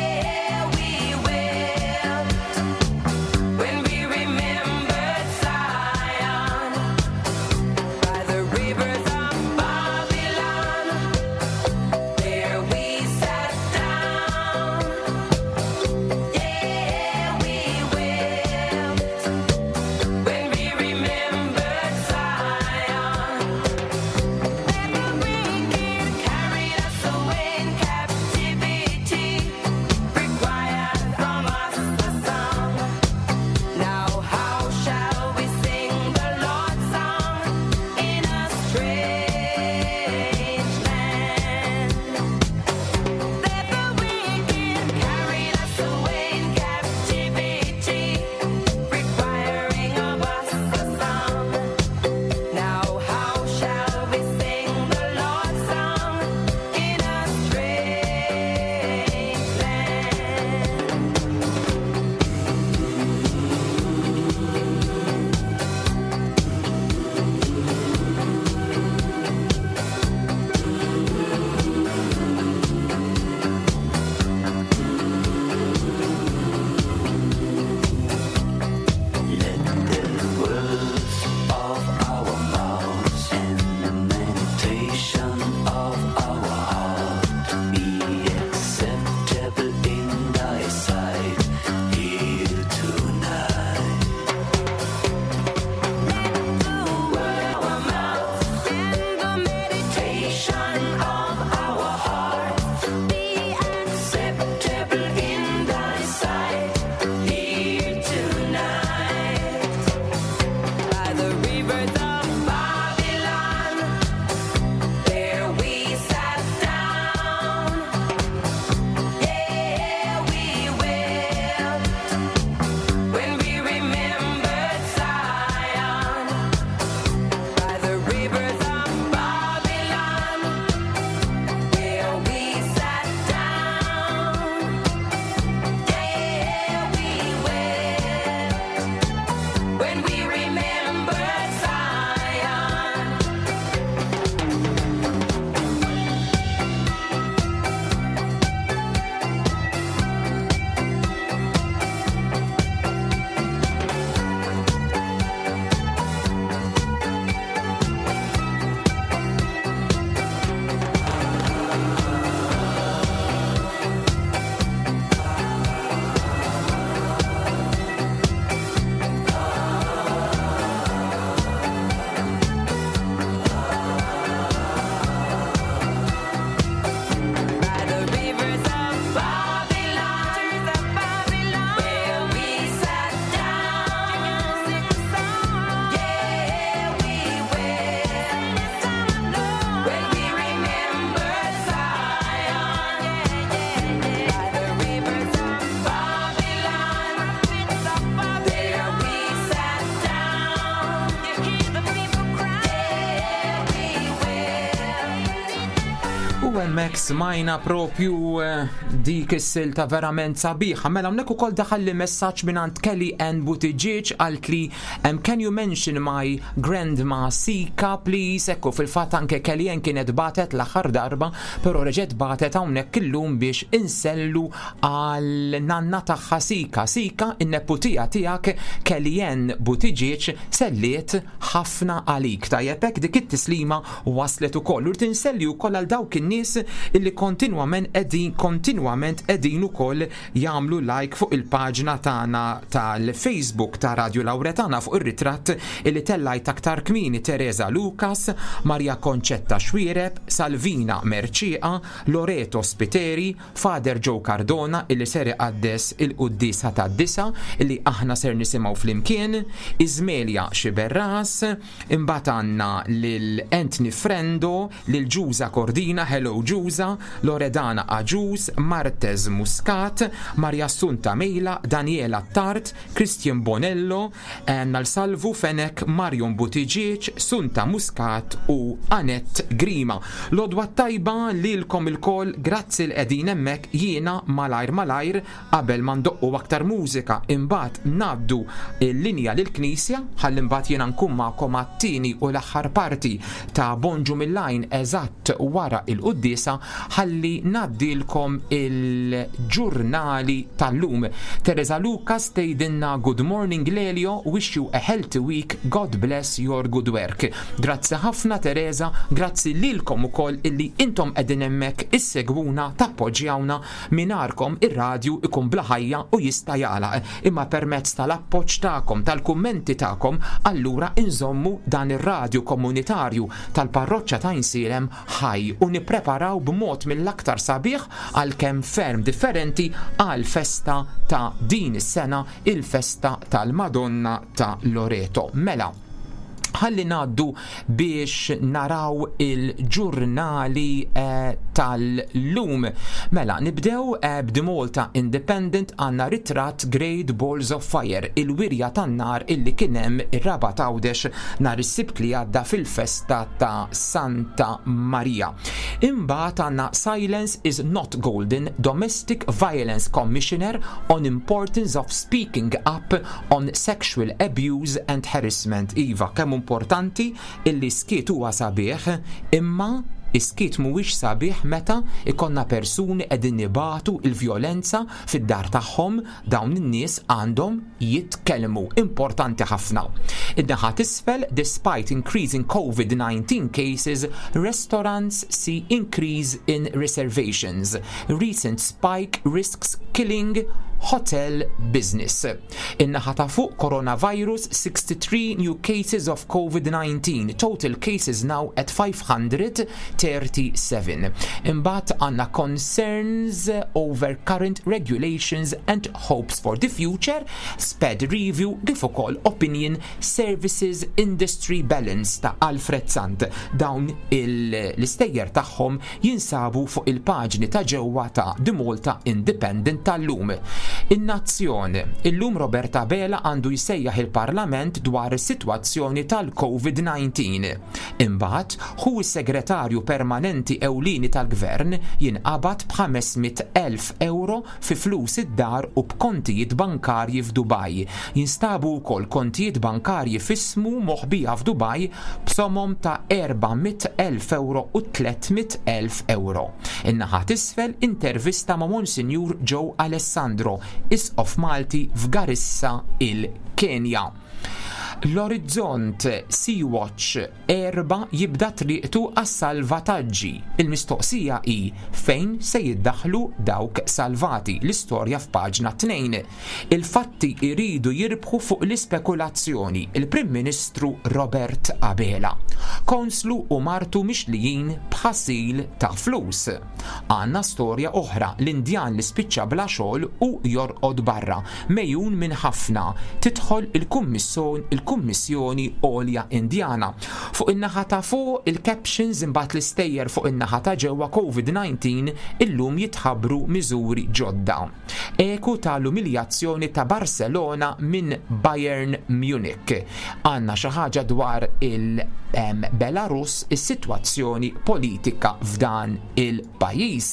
Hemmhekk smajna propju eh, dik is-silta verament sabiħa. Mela hawnhekk ukoll daħal li messaġġ mingħand Kelly Ann Buttigieg qalt li can you mention my grandma Sika please? Ekku fil-fatt anke Kelly Ann kienet batet l-aħħar darba, però reġgħet batet hawnhekk illum biex insellu għal nanna tagħha Sika. Sika, in-neputija tiegħek Kelly Ann Buttigieg selliet ħafna għalik. Tajjeb hekk dik it-tislima waslet ukoll. U rrid inselli wkoll għal dawk in-nies illi kontinwament qegħdin kontinwament qegħdin ukoll jagħmlu like fuq il-paġna tagħna tal-Facebook ta' Radio Lauretana fuq ir-ritratt illi tellajt aktar kmieni Teresa Lucas, Maria Concetta Xuereb, Salvina Mercieca, Loreto Spiteri, Father Joe Cardona illi ser iqaddes il-quddiesa tad-disa illi aħna ser nisimgħu flimkien, Ismelia Sciberras, imbagħad għandna lil Anthony Frendo, lil Ġuża Cordina, hello Ġuża, Loredana Agius, Martez Muscat, Maria Assunta Mejla, Daniela Attard, Christian Bonello, għandna l-Salvu Fenech, Marion Buttigieg, Sunta Muscat u Anette Grima. L-għodwa t-tajba lilkom ilkoll, grazzi li qegħdin hemmhekk, jiena malajr malajr qabel ma ndoqqu aktar mużika imbagħad ngħaddu l-linja lill-Knisja ħalli mbagħad jiena nkun magħkom għat-tieni u l-aħħar parti ta' Bonġu mill-Għajn eżatt wara l-quddiesa ħalli ngħaddilkom il-ġurnali tal-lum. Teresa Lucas tgħidilna Good morning Lelio, wish you a healthy week, God bless your good work. Grazzi ħafna Teresa, grazzi lilkom ukoll illi intom qegħdin hemmhekk issegwuna, tappoġġjawna, mingħarkom ir-radju ikun bla ħajja u jista' jagħlaq. Imma permezz tal-appoġġ tagħkom, tal-kummenti tagħkom, allura inżommu dan ir-radju komunitarju tal-parroċċa ta' Għajnsielem ħaj u nippreparaw b'mod mill-aktar sabiħ għalkemm ferm differenti għall-festa ta' din is-sena, il-festa tal-Madonna ta' Loreto. Mela, ħalli ngħaddu biex naraw il-ġurnali eh, tal-lum. Mela, nibdew eh, b'The Malta Independent għandna ritratt Great Balls of Fire, il-wirja tan-nar illi kien hemm ir-Rabat Għawdex nhar is-Sibt li għadda fil-festa ta' Santa Marija. Imbagħad għandna Silence is not golden, Domestic Violence Commissioner on importance of speaking up on sexual abuse and harassment. Iva, kemm importanti illi skiet huwa sabiħ, imma is-skiet mhuwiex sabiħ meta ikollna persuni qegħdin ibatu l-vjolenza fid-dar tagħhom, dawn in-nies għandhom jitkellmu. Importanti ħafna. In-naħa t'isfel, despite increasing COVID-19 cases, restaurants see increase in reservations. Recent spike risks killing hotel business. In-naħa ta' fuq coronavirus 63 new cases of COVID-19, total cases now at 537. Imbagħad għandna concerns over current regulations and hopes for the future, sped review kif ukoll opinion services industry balance ta' Alfred Sant. Dawn l-istejjer tagħhom jinsabu fuq il-paġni ta' ġewwa ta' The Malta Independent tal-lum. In-Nazzjon, Illum Robert Abela għandu jsejjaħ il-Parlament dwar is-sitwazzjoni tal-Covid-19. Imbagħad, ħu s-Segretarju Permanenti Ewlieni tal-Gvern jinqabad b'500,000 ewro fi flus id-dar u b'kontijiet bankarji f'Dubaj. Jinstabu wkoll kontijiet bankarji f'ismu moħbija f'Dubaj b'somom ta' 400,000 ewro u 300,000 ewro. In-naħa t'isfel intervista ma' Monsinjur Joe Alessandro, Isqof Malti f'Garissa, il-Kenja. L-Orizzont, Sea Watch 4 jibda triqtu għas-salvataġġi. Il-mistoqsija hi fejn se jiddaħħlu dawk salvati, l-istorja f'paġna 2. Il-fatti jridu jirbħu fuq l-ispekulazzjoni, il-Prim Ministru Robert Abela. Konslu u martu mixlijin b'ħasil ta' flus. Għandna storja oħra, l-Indjan li spiċċa bla xogħol u jorqod barra, megħjun minn ħafna, tidħol il-Kummissjoni. mill-Kummissjoni Għolja Indjana. Fuq in-naħa ta' fuq il-captions imbagħad l-istejjer fuq in-naħa ta' ġewwa COVID-19 illum jitħabbru miżuri ġodda. Eku ta' l-umiljazzjoni ta' Barcelona minn Bayern Munich. Għandna xi ħaġa dwar il-Belarus, is-sitwazzjoni politika f'dan il-pajjiż.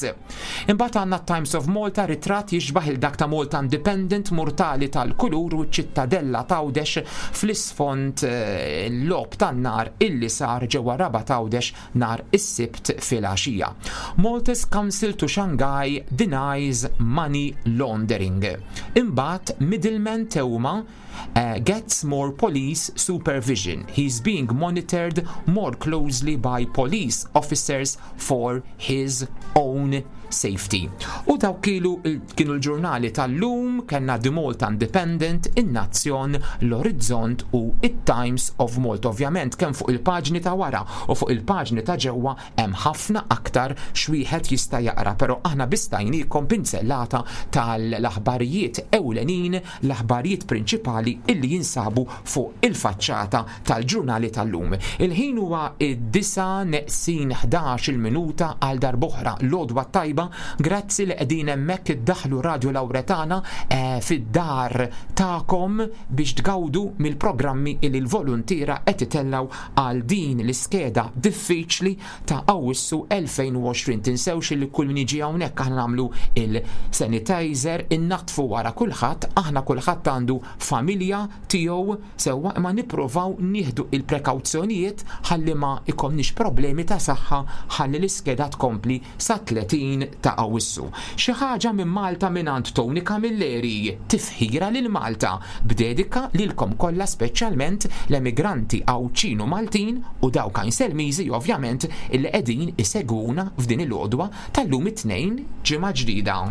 Imbagħad għandna Times of Malta ritratt jixbaħ il dak ta' Malta Independent murtali tal-kulur u ċ-ċittadella t'Għawdex fl-isfond eh, l-logħob tan-nar illi sar ġewwa Rabat Għawdex nhar is-Sibt filgħaxija. Maltese Council to Shanghai denies money laundering. Imbagħad middleman Theuma uh, gets more police supervision. He's being monitored more closely by police officers for his own safety. U dawk kienu kienu l-ġurnali tal-lum, kellna The Malta Independent, in-Nazzjon, l-Orizzont u it-Times of Malta. Ovvjament kemm fuq il-paġni ta' wara u fuq il-paġni ta' ġewwa hemm ħafna aktar x'wieħed jista' jaqra, però aħna biss tajniekom pinzellata tal-aħbarijiet ewlenin, l-aħbarijiet prinċipali illi jinsabu fuq il-faċċata tal-ġurnali tal-lum. Il-ħin huwa id-disgħa neqsin 11-il minuta għal darb'oħra l-għodwa t-tajba, grazzi li qegħdin hemmhekk iddaħħlu Radio Lauretana eh, fid-dar tagħkom biex tgawdu mill-programmi illi l-voluntiera qed itellgħu għal din l-iskeda diffiċli ta' Awwissu 2020. Tinsewx li kull min jiġi hawnhekk aħna nagħmlu il-sanitizer, innaddfu wara kulħadd, aħna kulħadd għandu familja tiegħu sewwa imma nipprovaw nieħdu il-prekawzjonijiet ħalli ma jkollniex problemi ta' saħħa ħalli l-iskeda tkompli sat-30 ta' Awwissu. Xi ħaġa minn Malta mingħand Tony Camilleri, tifħira lil Malta, b'dedika lilkom kollha speċjalment l-emigranti Għawdxin u Maltin u dawk Għajnselmiżi ovvjament illi qegħdin isegwuna f'din il-għodwa tal-lum it-Tnejn ġimgħa ġdida.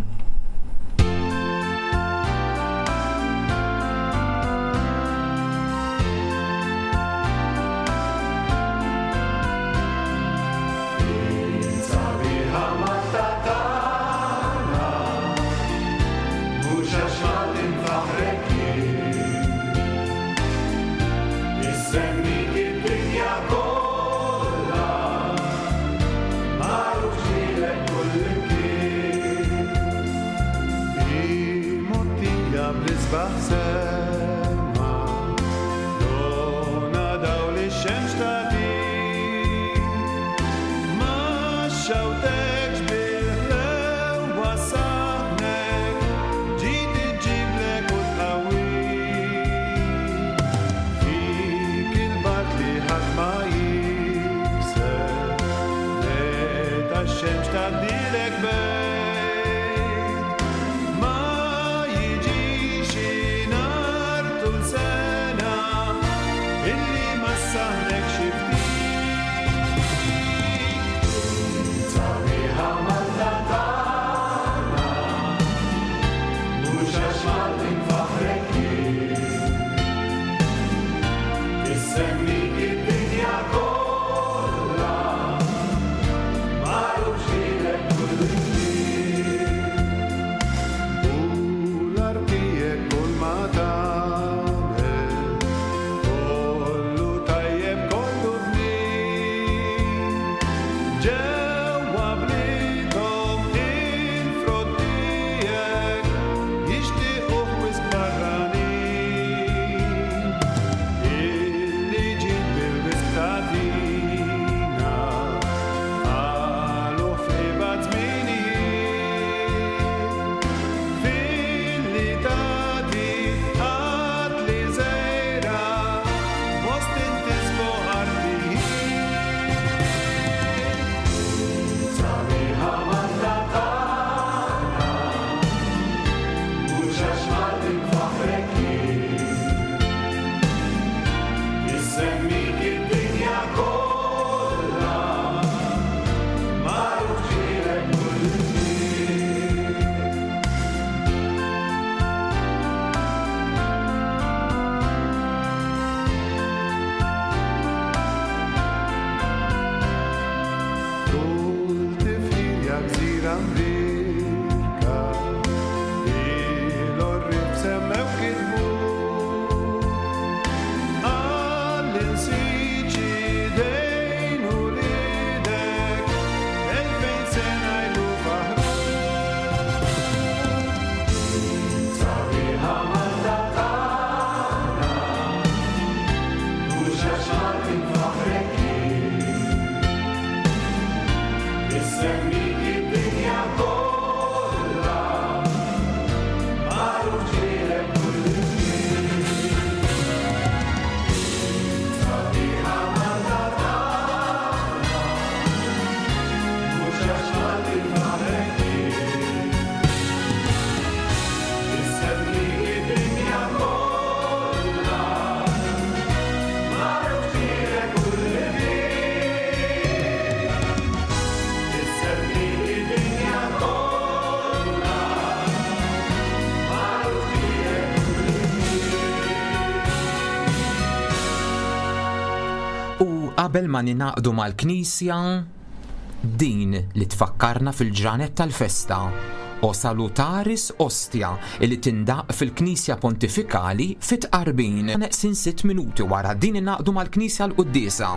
Qabel ma ningħaqdu mal-Knisja, din li tfakkarna fil-ġranet tal-festa, O Salutaris Ostia, li tindaqq fil-Knisja Pontifikali fit-Tqarbin. Neqsin sitt minuti wara din ingħaqdu mal-Knisja l-quddiesa.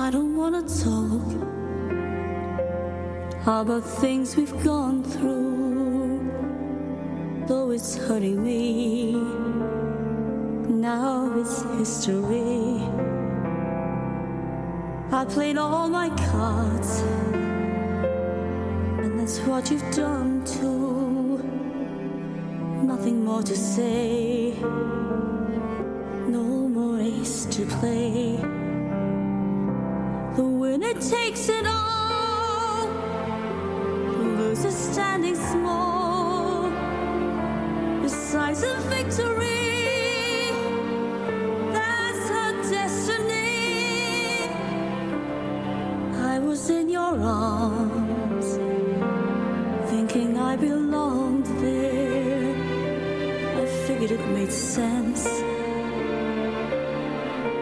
I don't wanna talk about things we've gone through, though it's hurting me. Now it's history. I played all my cards, and that's what you've done too. Nothing more to say, no more ace to play. The winner takes it all, the loser standing small. Besides a victory, that's her destiny. I was in your arms, thinking I belonged there. I figured it made sense,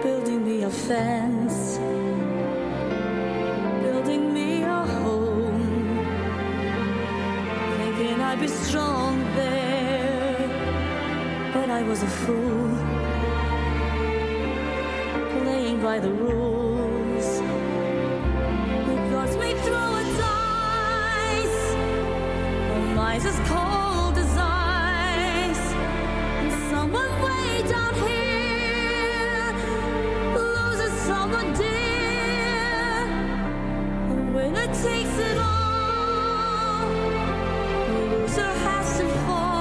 building me a fence, building me a home, thinking I'd be strong there. But I was a fool, playing by the rules. The gods may throw a dice, the lies as cold as ice, and someone way down here loses someone dear. The winner takes it all, the loser has to fall.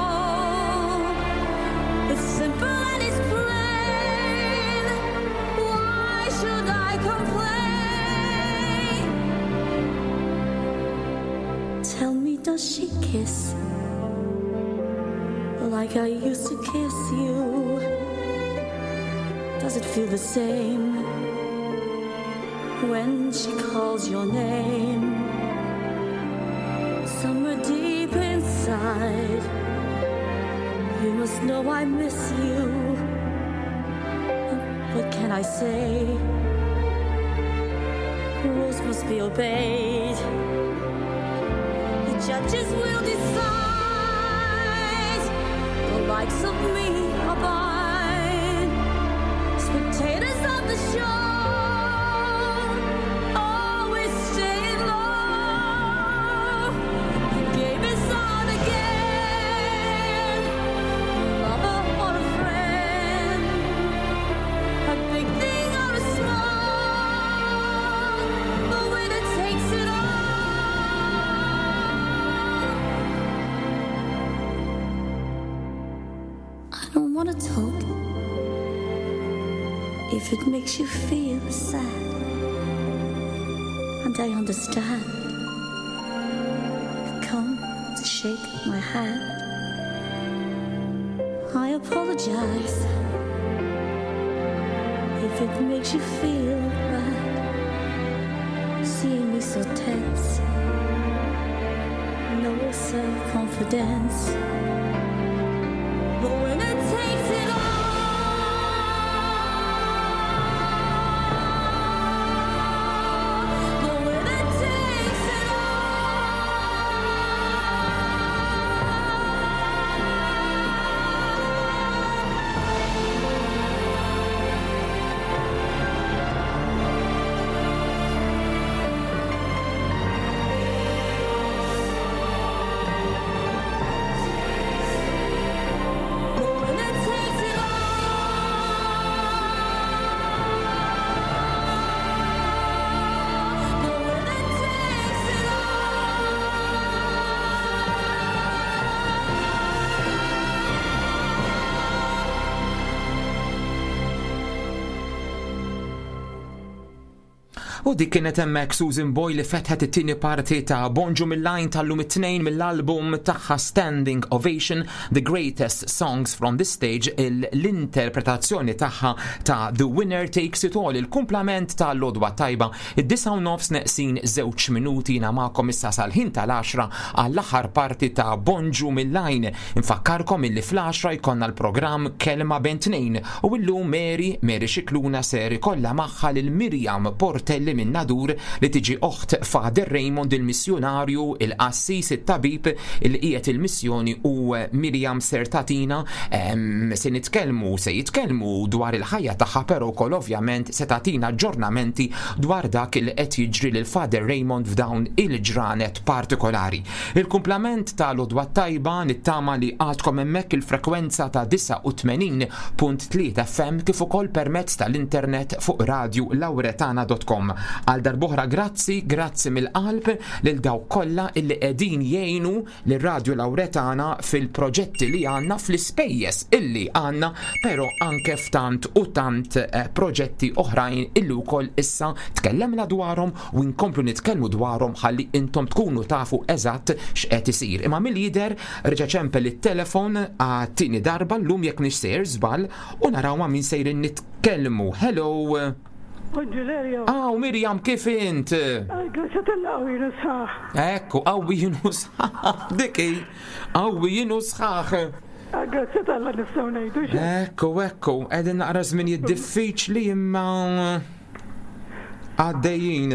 It's simple and it's plain. Why should I complain? Tell me, does she kiss like I used to kiss you? Does it feel the same when she calls your name? Somewhere deep inside, you must know I miss you. What can I say? Rules must be obeyed. The judges will decide. The likes of me abide. Spectators of the show always staying low. The game is on again. Lover or a friend, a big thing or a small, the winner takes it all. I don't wanna talk if it makes you feel sad, and I understand. You've come to shake my hand. I apologize if it makes you feel bad, seeing me so tense, no self-confidence. The winner takes it all. The winner takes it all. The winner takes it all. The winner takes it U dik kienet hemmhekk Susan Boyle li fetħet it-tieni parti ta' Bonġu mill-lajn tal-lum it-tnejn mill-album tagħha Standing Ovation, The Greatest Songs from the Stage, l-interpretazzjoni tagħha ta' The Winner Takes It All, il-kumplament ta' Lodwa Tajba, id-disa u nofs neqsin żewġ minuti jiena magħkom issa sal-ħin tal-10 għall-aħħar parti ta' Bonġu mill-lajn. Infakkarkom illi fl-10 jkollna l-programm Kelma Bejn Tnejn u illum Mary, Mary Scicluna ser ikollha magħha lil Miriam Portelli. Parrokkjali minn Nadur li tiġi oħt Father Raymond il-missjunarju, il-qassis, it-tabib li qiegħed il-missjoni u Miriam ser tagħtina se nitkellmu se jitkellmu dwar il-ħajja tagħha però wkoll ovvjament se tagħtina aġġornamenti dwar dak li qed jiġri lil Father Raymond f'dawn il-ġranet partikolari. Il-kumplament ta' l-għodwa t-tajba nittama li għadkom hemmhekk il-frekwenza ta' 89.3 FM kif ukoll permezz tal-internet fuq radiolauretana.com. Għal darb'oħra grazzi, grazzi mill-qalb lil dawk kollha illi qegħdin jgħinu lil Radio Lauretana fil-proġetti li għandna, fl-ispejjeż illi għandna, però anke f'tant u tant eh, proġetti oħrajn illi wkoll issa tkellemna dwarhom u nkomplu nitkellmu dwarhom ħalli intom tkunu tafu eżatt x'qed isir. Imma mill-jidher reġa' ċempel it-telefon għat-tieni darba llum jekk mhix sejjer żball u naraw ma' min sejrin nitkellmu. Hello! Bonġu Aw, Mirjam, kif int? Grazie tal-qawwi jinu sħaħ. Ekku, qawwi jinu sħaħ. Diki, qawwi jinu sħaħ. Grazie tal-la nistgħu ngħidu. Ekku, ekku, qegħdin naqra żminijiet diffiċli imma għaddejjin.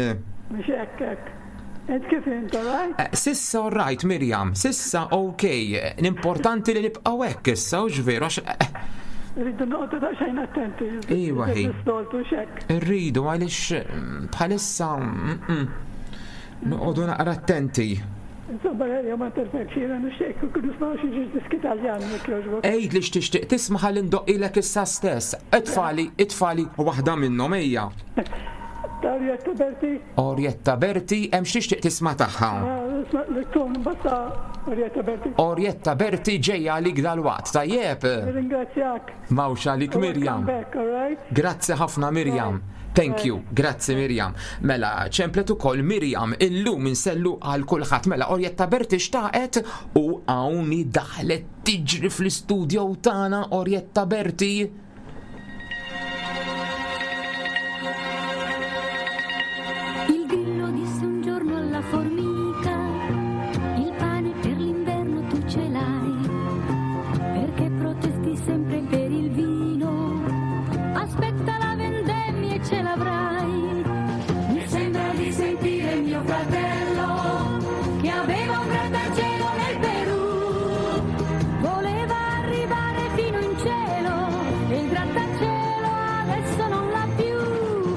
Mhux hekk hekk. Int kif int, all right? Eh, sissa all right, Mirjam, sissa ok. L-importanti li nibqgħu hekk issa, u veru għax. Eh, Rridu noqgħodu daqsxejn attenti. Iwa hi. Nistoltu xek. Irridu għaliex bħalissa noqogħdu naqra attenti. Insomma, Elio, ma interfekx, jiena nixtieq kieku nisma' xi ġiex diski Taljan jekk jogħġbok. Għid li x'tixtieq tisma' ħalli ndoqqilek issa stess. Itfagħli, itfagħli waħda minnhom, ejja. Ta' Orietta Berti. Orietta Berti, hemm x'tixtieq tisma' tagħha? Nisma' li tkun imbagħad ta' Orietta Berti. Orietta Berti ġejja għalik dalwaqt, tajjeb? Nirringrazzjak. M'hawnx għalik Miriam. Back, all right? Grazzi ħafna Miriam. Thank you, grazzi Miriam. Mela, ċemplet ukoll Miriam illum insellu għal kulħadd. Mela, Orietta Berti xtaqet u hawn daħlet tiġri fl-istudio tagħna Orietta Berti. Il grillo disse un giorno alla formica, il pane per l'inverno tu ce l'hai, perché protesti sempre per il vino, aspetta la vendemmia e ce l'avrai. Mi sembra di sentire mio fratello, che aveva un grattacielo nel Perù, voleva arrivare fino in cielo, e il grattacielo adesso non l'ha più.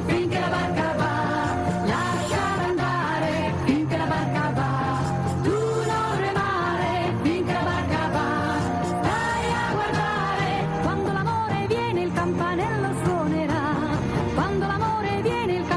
Finché la barca va, lasciala andare, finché la barca va, tu non remare, finché la barca va, stai a guardare. Quando l'amore viene il campanello suonerà, quando l'amore viene il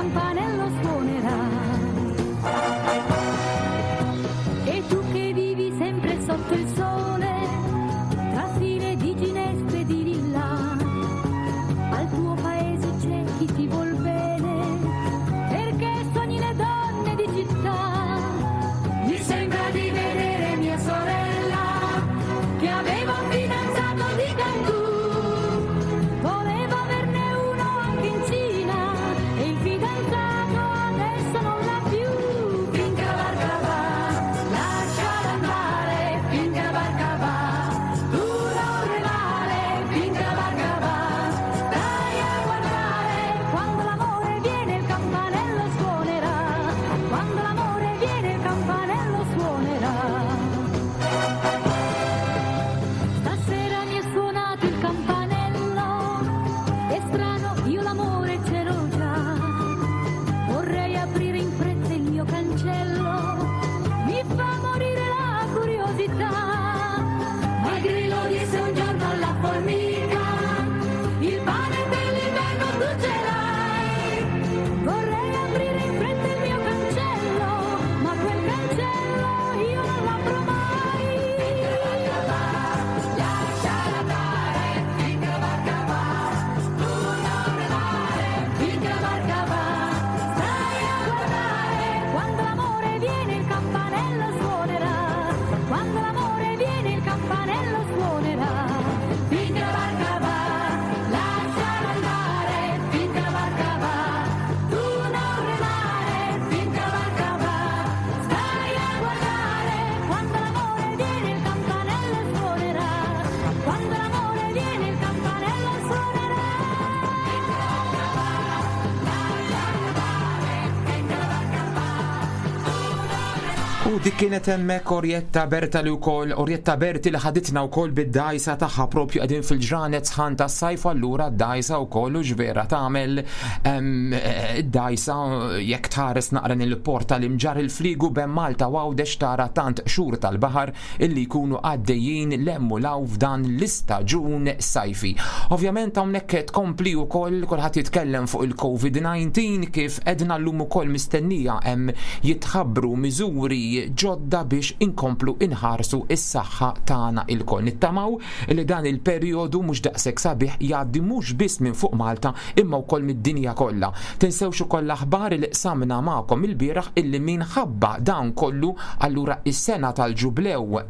U dik kienet hemmhekk Orietta Berta li wkoll Orietta Berti li ħaditna wkoll bid-dgħajsa tagħha propju qegħdin fil-ġranet sħan tas-sajf allura d-dgħajsa wkoll u x'vera tagħmel id-dgħajsa jekk tħares naqra il-port tal-Imġarr il-Fliegu bejn Malta u Għawdex tara tant qxur tal-baħar illi jkunu għaddejjin 'l hemm u 'l hawn f'dan l-istaġun sajfi. Ovvjament hawnhekk tkompli wkoll kulħadd jitkellem fuq il-COVID-19 kif għedna llum ukoll mistennija hemm jitħabbru miżuri ġodda biex inkomplu inħarsu s-saħħa tagħna ilkoll. Nittamaw li dan il-perjodu mhux daqshekk sabiħ jgħaddi mhux biss minn fuq Malta imma wkoll mid-dinja kollha. Tinsewx ukoll l-aħbar li qsamna magħkom ilbieraħ illi minħabba dan kollu allura is-sena tal-Ġublew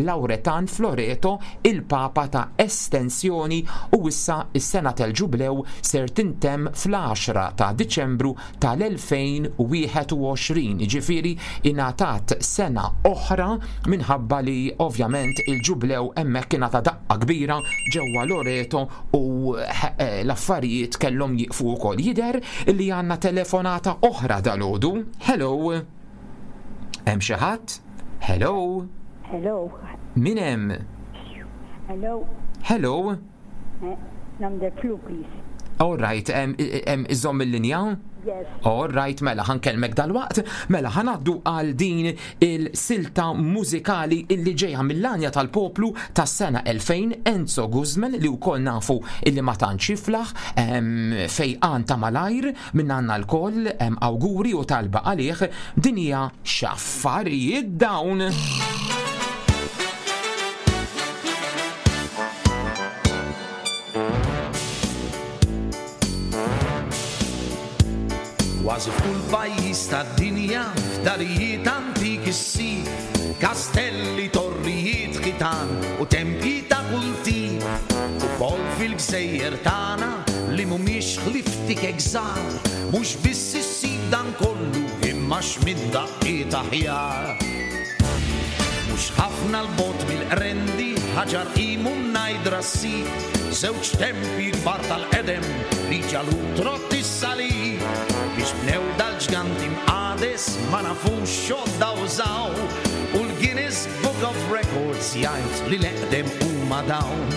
Lawretan f'Loreto il-Papa ta estensjoni u issa s-sena tal-Ġublew ser tintemm fl-għaxra ta' Diċembru tal-2021, jiġifieri ingħatat sena oħra minħabba li ovvjament il-Ġublew hemmhekk ingħata daqqa kbira ġewwa Loreto u l-affarijiet kellhom jieqfu wkoll. Jidher li għandna telefonata oħra dalgħodu. Hello. Hemm xi ħadd? Hello. Hello. Min hemm? Hello. Hello. Number 2 please. All right, iżomm il-linja? Yes. All right, mela ħankellmek dalwaqt, mela ħanaddu għal din il-silta mużikali illi ġejja mill-għanja tal-poplu tas-sena 2000 Enzo Guzman li wkoll nafu illi ma tantx jiflaħ fejqan ta' malajr minn għandna lkoll awguri u talba għalih din hija x'affarijiet dawn. Kważi f'kull pajjiż tad-dinja f'darijiet antiki ssib kastelli, torrijiet, ħitan u tempji ta' kull tip. Ukoll fil-gżejjer tagħna li mhumiex ħlief tikek żgħar, mhux biss issib dan kollu imma x'minn daqqiet aħjar. Mhux ħafna 'l bogħod mill-Qrendi, Ħaġar Qim u Mnajdra ssib żewġ tempji kbar tal-qedem li ġalu trott is-salib. Biex bnew dal-ġganti mqades ma nafux x'għodda użaw u l-Guinness Book of Records jgħid li l-eqdem huma dawn.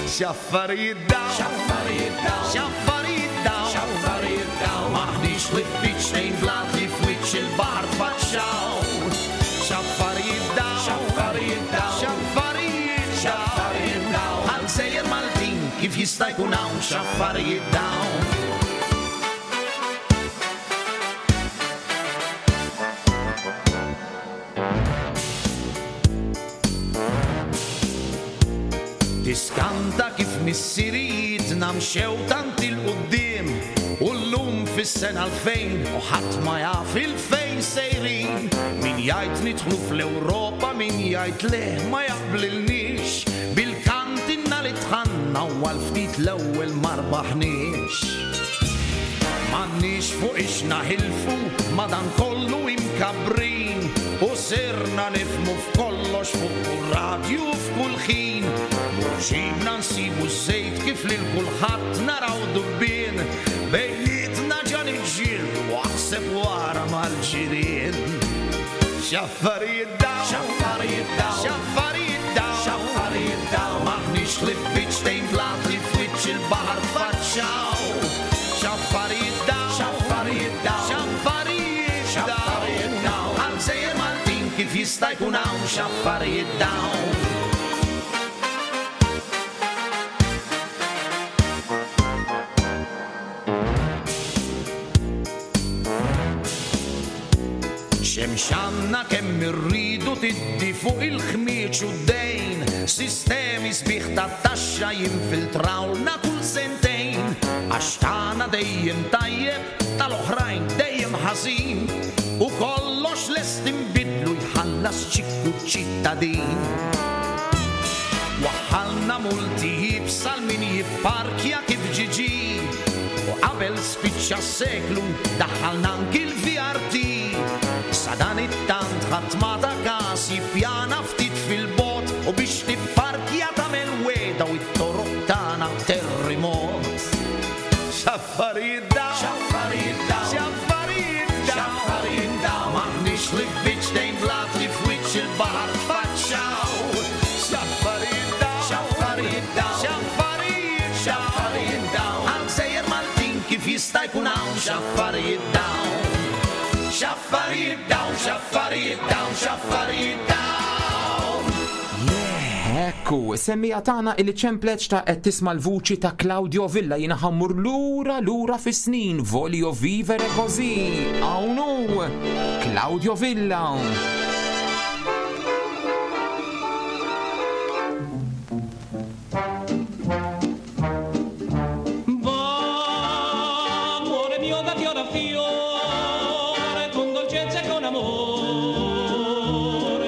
X'affarijiet dawn! X'affarijiet dawn! X'affarijiet dawn! X'affarijiet dawn! M'aħniex ħlief biċċtejn blat li f'wiċċ il-baħar tfaċċaw. X'affarijiet dawn! X'affarijiet dawn! X'affarijiet dawn! X'affarijiet dawn! Bħal gżejjer Maltin kif jista' jkun hawn x'affarijiet dawn? Tiskanta kif missirijietna mxew tant 'il quddiem u llum fis-sena 2000 u ħadd ma jaf 'il fejn sejrin. Min jgħid nidħlu fl-Ewropa min jgħid le ma jaqblilniex. Bil-kant inna li dħalna u għal ftit l-ewwel ma rbaħniex. M'għandniex fuq ix naħilfu ma' dan kollu imkabbrin u sirna nifhmu f'kollox fuq kull radju u f'kull ħin. Mur ġibna nsibu ż-żejt kif lil kulħadd naraw dubbien. Bejnietna ġa niġġieldu aħseb u ara mal-ġirien. X'affarijiet dawn! X'affarijiet dawn! X'affarijiet dawn! X'affarijiet dawn! M'aħniex ħlief biċċtejn blat li f'wiċċ il-baħar tfaċċaw. X'affarijiet dawn! X'affarijiet dawn! X'affarijiet dawn! X'affarijiet dawn! Bħal gżejjer Maltin kif jista' jkun hawn x'affarijiet dawn? Xemx għandna kemm irridu tiddi fuq il-ħmieġ u d-dejn, sistemi sbieħ ta' taxxa jinfiltrawlna kull sentejn, għax tagħna dejjem tajjeb, tal-oħrajn dejjem ħażin, u kollox lest inbiddlu jħallas ċikku ċ-ċittadin. Waħħalna multi iebsa 'l min jipparkja kif ġie ġie, u qabel spiċċa s-seklu daħħalna anki l-VRT. Sadanittant ħadd ma ta kas jippjana ftit fil-bogħod u biex tipparkja tagħmel wegħda u t-toroq tagħna terrimot. X'affarijiet dawn! X'affarijiet dawn! X'affarijiet dawn! X'affarijiet dawn! M'aħniex ħlief biċċtejn. wiċċ il-baħar tfaċċaw. X'affarijiet dawn, x'affarijiet dawn, x'affarijiet, x'affarijiet dawn. Għal gżejjer Maltin kif jista' jkun hawn x'affarijiet dawn. X'affarijiet dawn, x'affarijiet dawn, x'affarijiet dawn. Ekku, semmija tagħna illi ċemplet xtaqet tisma' l-vuċi ta' Claudio Villa jiena ħammur lura lura fis-snin Voglio vivere così. Hawn hu Claudio Villa. Va, amore mio, da fiore a fiore, con dolcezza e con amore,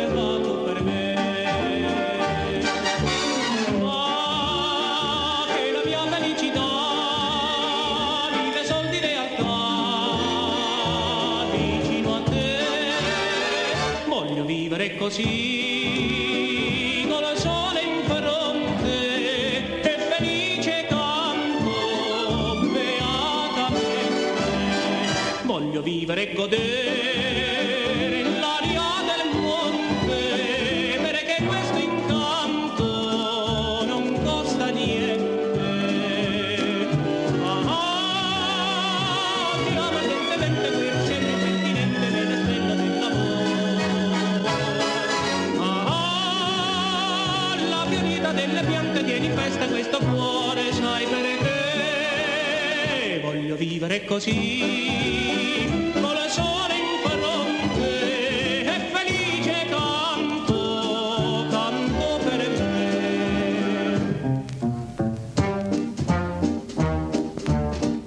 va tu per me. Va, che la mia felicità vive sol di realtà, vicino a te. Voglio vivere così, con il sole in fronte e felice canto beatamente. Voglio vivere e godere l'aria del monte, perché questo incanto non costa niente. Ah, ti amo ardentemente, quel impertinente nella stella dell'amore. Ah, la fiorita delle piante tiene in festa questo cuore, sai perché? Voglio vivere così, con il sole in fronte e felice canto, canto per me.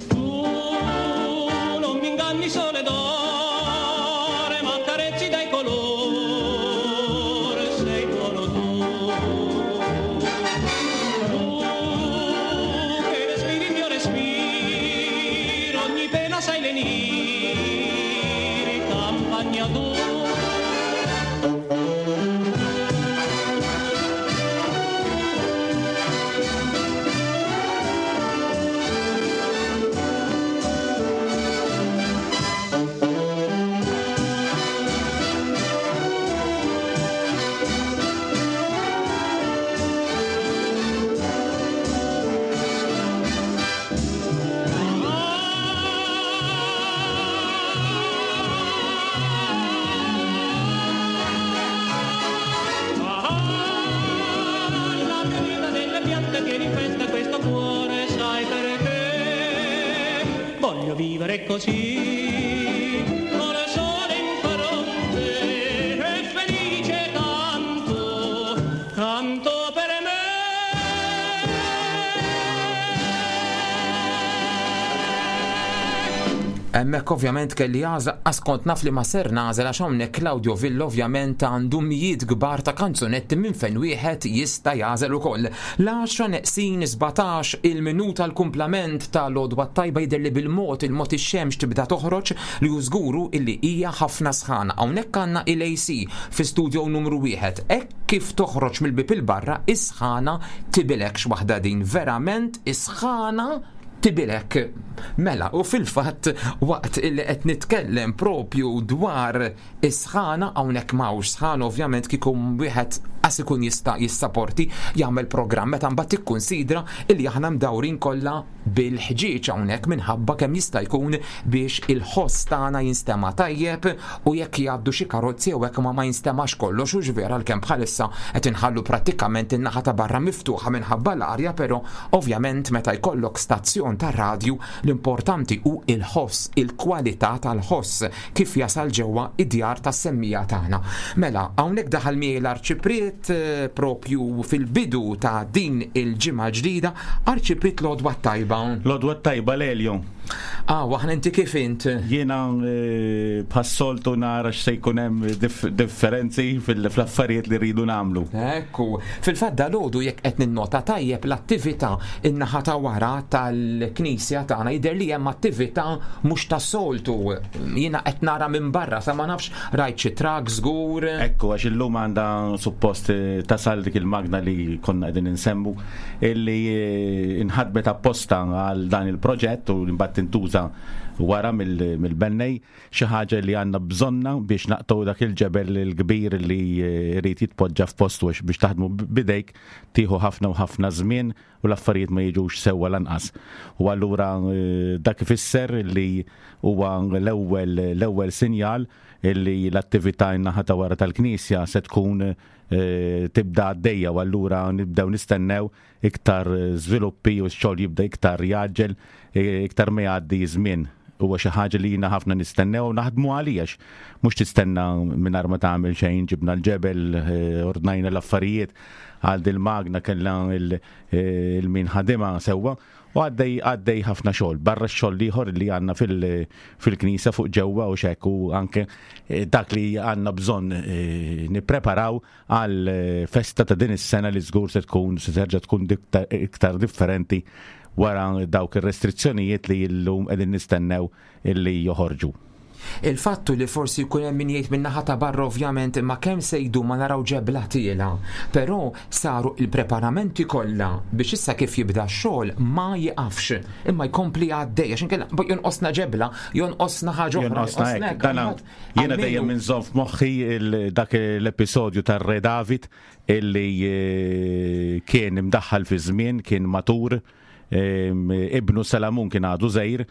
Tu non mi inganni sole d'ore, ma carezzi dai colore, sei buono tu. Tu che respiri il mio respiro, ogni pena sai lenire, campagna tu. La fiorita delle piante tiene in festa questo cuore, sai perché? Voglio vivere così, con il sole in fronte e felice canto, canto per me. Hemmhekk ovvjament kelli għażla qas kont naf li ma ser nagħżel għax hawnhekk Claudio Villa ovvjament għandu mijiet kbar ta' kanzunetti minn fejn wieħed jista' jagħżel ukoll. L-għaxra neqsin 17 il-minuta l-kumplament ta' l-għodwa t-tajba jidher li bil-mod il-mod ix-xemx tibda toħroġ li hu żguru illi hija ħafna sħana. Hawnhekk għandna il-AC fi studio numru wieħed. Hekk kif toħroġ mill-bieb 'il barra is-sħana tibilek x'waħda din verament is-sħana tibilek. Mela, u fil-fatt waqt illi qed nitkellem propju dwar is-sħana hawnhekk m'hawnx sħana ovvjament kieku wieħed qas ikun jista' jissaporti jagħmel programm meta mbagħad tikkunsidra illi aħna mdawrin kollha bil-ħġieġ hawnhekk minħabba kemm jista' jkun biex il-ħoss tagħna jinstema' tajjeb u jekk jgħaddu xi karozzi jew hekk ma ma jinstemax kollox hux vera għalkemm bħalissa qed inħallu prattikament in-naħa ta' barra miftuħa minħabba l-arja però ovvjament meta jkollok stazzjon tar-radju l-importanti hu il-ħoss, il-kwalità tal-ħoss kif jasal ġewwa id-djar tas-semmija tagħna. Mela, hawnhekk daħal miegħi l-Arċipriet eh, propju fil-bidu ta' din il-ġimgħa ġdida, Arċipriet l-għodwa t-tajba. L-għodwa t-tajba Lelio. Ah, aħna inti kif int? Jiena eh, bħas-soltu nara x'se jkun hemm differenzi fl-affarijiet li rridu nagħmlu. Ekku, fil-fatt dalgħodu jekk qed ninnota tajjeb l-attività in-naħa ta' wara tal-knisja tagħna jidher li hemm attività mhux tas-soltu. Jiena qed nara minn barra sa ma nafx rajt xi trak żgur. Ekku, għax illum għandha suppost eh, tasal dik il-magna li konna qegħdin insemmu illi eh, inħadmet apposta għal dan il-proġett u mbagħad tintuża. wara mill-bennej, xi ħaġa li għandna bżonna biex naqtgħu dak il-ġebel il-kbir li jrid jitpoġġa f'postu għax biex taħdmu b'idejk tieħu ħafna u ħafna żmien u l-affarijiet ma jiġux sewwa lanqas. U allura dak ifisser li huwa l-ewwel l-ewwel sinjal li l-attività in-naħa ta' wara tal-Knisja se tkun tibda għaddejja u allura nibdew nistennew iktar żviluppi u x-xogħol jibda iktar jgħaġġel iktar ma jgħaddi żmien. Huwa xi ħaġa li jiena ħafna nistennew u naħdmu għalija għax mhux tistenna mingħajr ma tagħmel xejn, ġibna l-ġebel, ordnajna l-affarijiet għal dil-magna kellna il-min ħadimha sewwa u għaddej għaddej ħafna xogħol barra x-xogħol l-ieħor li għandna fil-knisja fuq ġewwa u x'hekk u anke dak li għandna bżonn nippreparaw għal festa ta' din is-sena li żgur se tkun se terġa' tkun iktar differenti wara dawk ir-restrizzjonijiet li llum qegħdin nistennew illi joħorġu. Il-fatt hu li forsi jkun hemm min jgħid min-naħa ta' barra ovvjament imma kemm se jdum ma naraw ġebla tiela'. Però saru l-preparamenti kollha biex issa kif jibda x-xogħol ma jiqafx imma jkompli għaddej għax inkella jonqosna ġebla, jonqosna ħaġa oħra. Jonqosna hekk. Jiena dejjem inżomm f'moħħi dak l-episodju tar-Re David illi eh, kien imdaħħal fi żmien, kien matur, ibnu Salamun kien għadu żgħir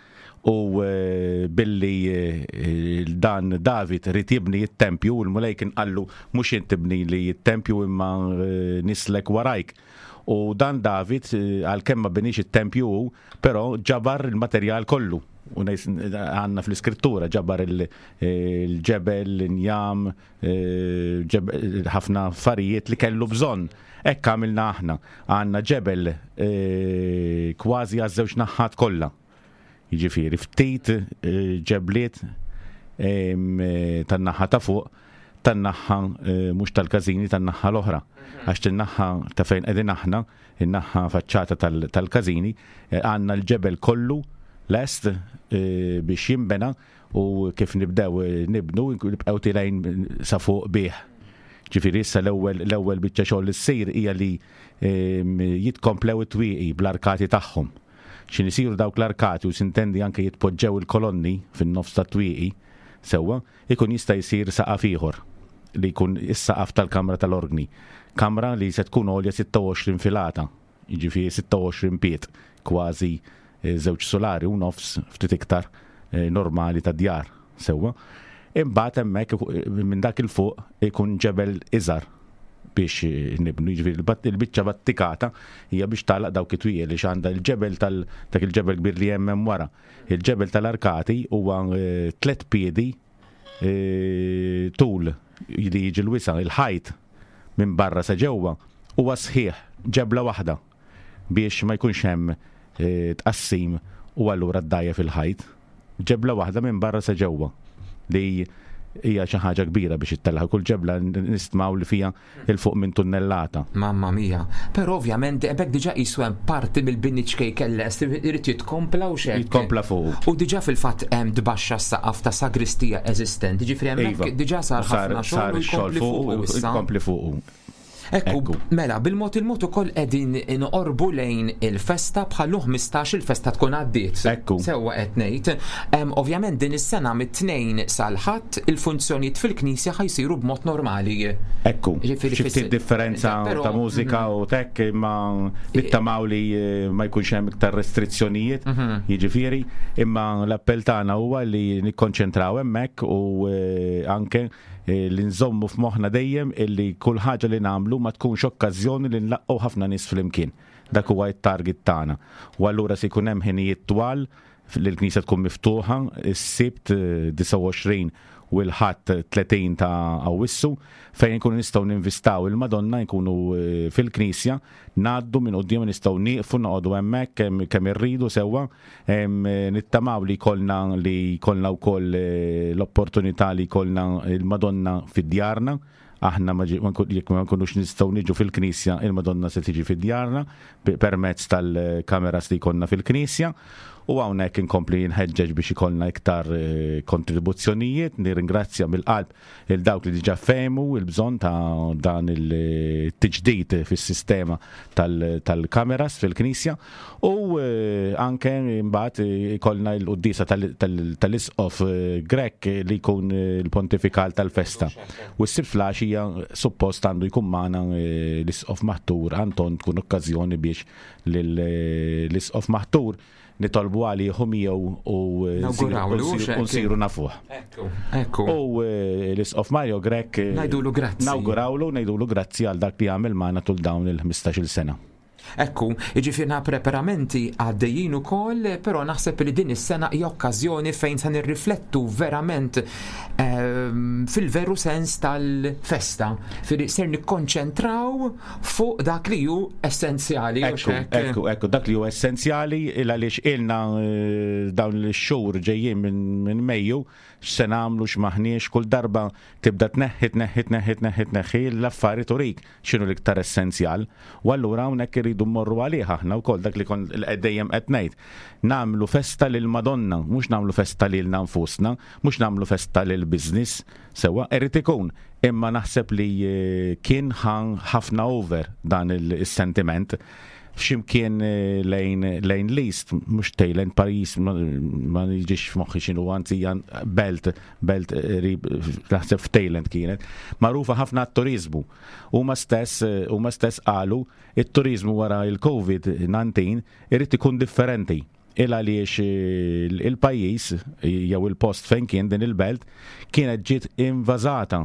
u eh, billi eh, dan David rid jibni t-tempju u l-Mulej kien qallu mhux int tibni li t-tempju imma nislek warajk. U dan David għalkemm ma binix it-tempju hu, però ġabar il-materjal kollu. U għandna fl-iskrittura ġabar il-ġebel, l-injam, eh, ħafna affarijiet li kellu bżonn. Hekk għamilna aħna. Għandna ġebel eh, kważi għaż-żewġ naħat kollha. Jiġifieri ftit eh, ġebliet tan-naħa ta' fuq tan-naħa mhux tal-każini tan-naħa l-oħra. Għax tin-naħa ta' fejn qegħdin aħna in-naħa faċċata tal-każini, għandna l-ġebel kollu lest biex jinbena u kif nibdew nibnu nibqgħu tilgħin sa fuq bih. Ġifieri issa l-ewwel l-ewwel biċċa xogħol li ssir hija li jitkomplew it-twieqi bl-arkati tagħhom. X'in isiru dawk l-arkati u sintendi anke jitpoġġew il-kolonni fin-nofs tat-twieqi sewwa, ikun jista' jsir saqaf ieħor li jkun is-saqaf tal-kamra tal-orgni, kamra li se tkun għolja 26 filata, jiġifieri 26 pied, kważi żewġ sulari u nofs, ftit iktar, normali ta' djar, sewwa. Imbagħad hemmhekk minn dak 'il fuq ikun ġebel iżgħar biex nibnu, jiġifieri il-biċċa battikata hija biex tagħlaq dawk it-twieqi għaliex għandha l-ġebel tal dak il-ġebel kbir li hemm hemm wara. Il-ġebel tal-arkati huwa tlet piedi tul li jiġi l-wisa', il-ħajt minn barra sa ġewwa huwa sħiħ, ġebla waħda biex ma jkunx hemm tqassim u allura ddgħajjef il-ħajt. Ġebla waħda minn barra sa ġewwa li hija xi ħaġa kbira biex ittellgħa. Kull ġebla nistmaw li fiha 'il fuq minn tunnellata. Mamma mia. Però ovvjament hemmhekk diġà qisu hemm parti mill-bini ċkejken lest irid jitkompla u x'hekk. Jitkompla fuqu. U diġà fil-fatt hemm tbaxxa s-saqaf ta' sagristija eżistenti, ġifieri hemmhekk diġà sar ħafna xogħol u jkompli fuqu issa. Jkompli fuqu. Ekku, mela, bil-mod il-mod ukoll qegħdin noqorbu lejn il-festa bħallu 15 il-festa tkun għaddiet. Ekku. Sewwa qed ngħid. Ovvjament din is-sena mit-tnejn sal-Ħadd il-funzjonijiet fil-knisja ħa jsiru b'mod normali. Ekku. Xi ftit differenza ta' mużika u tek imma nittamaw li eh, ma jkunx hemm iktar restrizzjonijiet, mhm. jiġifieri, imma l-appell tagħna huwa li nikkonċentraw hemmhekk u eh, anke li nżommu f'moħħna dejjem illi kull ħaġa li nagħmlu ma tkunx okkażjoni li nlaqqgħu ħafna nies flimkien. Dak huwa t-target tagħna. U allura se jkun hemm ħinijiet twal li l-knisja tkun miftuħa is-Sibt 29 u l-Ħadd 30 ta' Awwissu fejn inkunu nistgħu ninvistaw il-Madonna nkunu fil-knisja ngħaddu minn quddiem nistgħu nieqfu noqogħdu hemmhekk kemm irridu sewwa Nittamaw li jkollna li jkollna wkoll eh, l-opportunità li jkollna il-Madonna fid-djarna. Aħna jekk ma nkunux nistgħu niġu fil-Knisja, il-Madonna se tiġi fid-djarna permezz tal-kameras li jkollna fil-Knisja. U hawnhekk inkompli nħeġġeġ biex ikollna iktar eh, kontribuzzjonijiet, nirringrazzja mill-qalb il dawk li diġà fehmu il-bżonn ta' dan il-tiġdid fis-sistema tal-kameras fil-Knisja u eh, anke mbagħad ikollna l-quddiesa tal-Isqof eh, Grech li jkun il-pontifikal tal-festa. U s-Sibt flaxija suppost għandu jkun magħna l-Isqof Maħtur Anton tkun okkażjoni biex l-Isqof Maħtur nitolbu għalih u miegħu u eh, nsiru nafuh. Ekku. U eh, l-Isqof Mario Grech eh, ngħidulu grazzi. Nawgurawlu, ngħidulu grazzi għal dak li għamel magħna tul dawn il-15-il sena. Ekku, jiġifieri preparamenti għaddejjin ukoll, però naħseb li din is-sena hija okkażjoni fejn se nirriflettu verament fil-veru sens tal-festa. Firi ser nikkonċentraw fuq dak li hu essenzjali. Ekku, ekku, ekku, dak li hu essenzjali il għaliex ilna eh, dawn l-xhur ġejjin minn Mejju x'se nagħmlu x'maħniex kull darba tibda tneħħi tneħħi tneħħi tneħħi tneħħi l-affari turik x'inhu l-iktar essenzjal. U allura hawnhekk irridu mmorru għalih aħna wkoll dak li kon dejjem qed ngħid. Nagħmlu festa lil Madonna, mhux nagħmlu festa lilna nfusna, mhux nagħmlu festa lil business. Sewwa, irid ikun, imma naħseb li kien ħafna over dan is-sentiment f'ximkien eh, lejn lejn l-East, mhux Thailand, Paris, ma jiġix f'moħħi x'inhu anzi belt, belt eh, naħseb f'Thailand kienet, magħrufa ħafna għat-turiżmu. Huma stess eh, huma stess qalu it-turiżmu wara il-COVID-19 irid ikun differenti il għaliex il-pajjiż jew il-post fejn kien din il-belt kienet ġiet invażata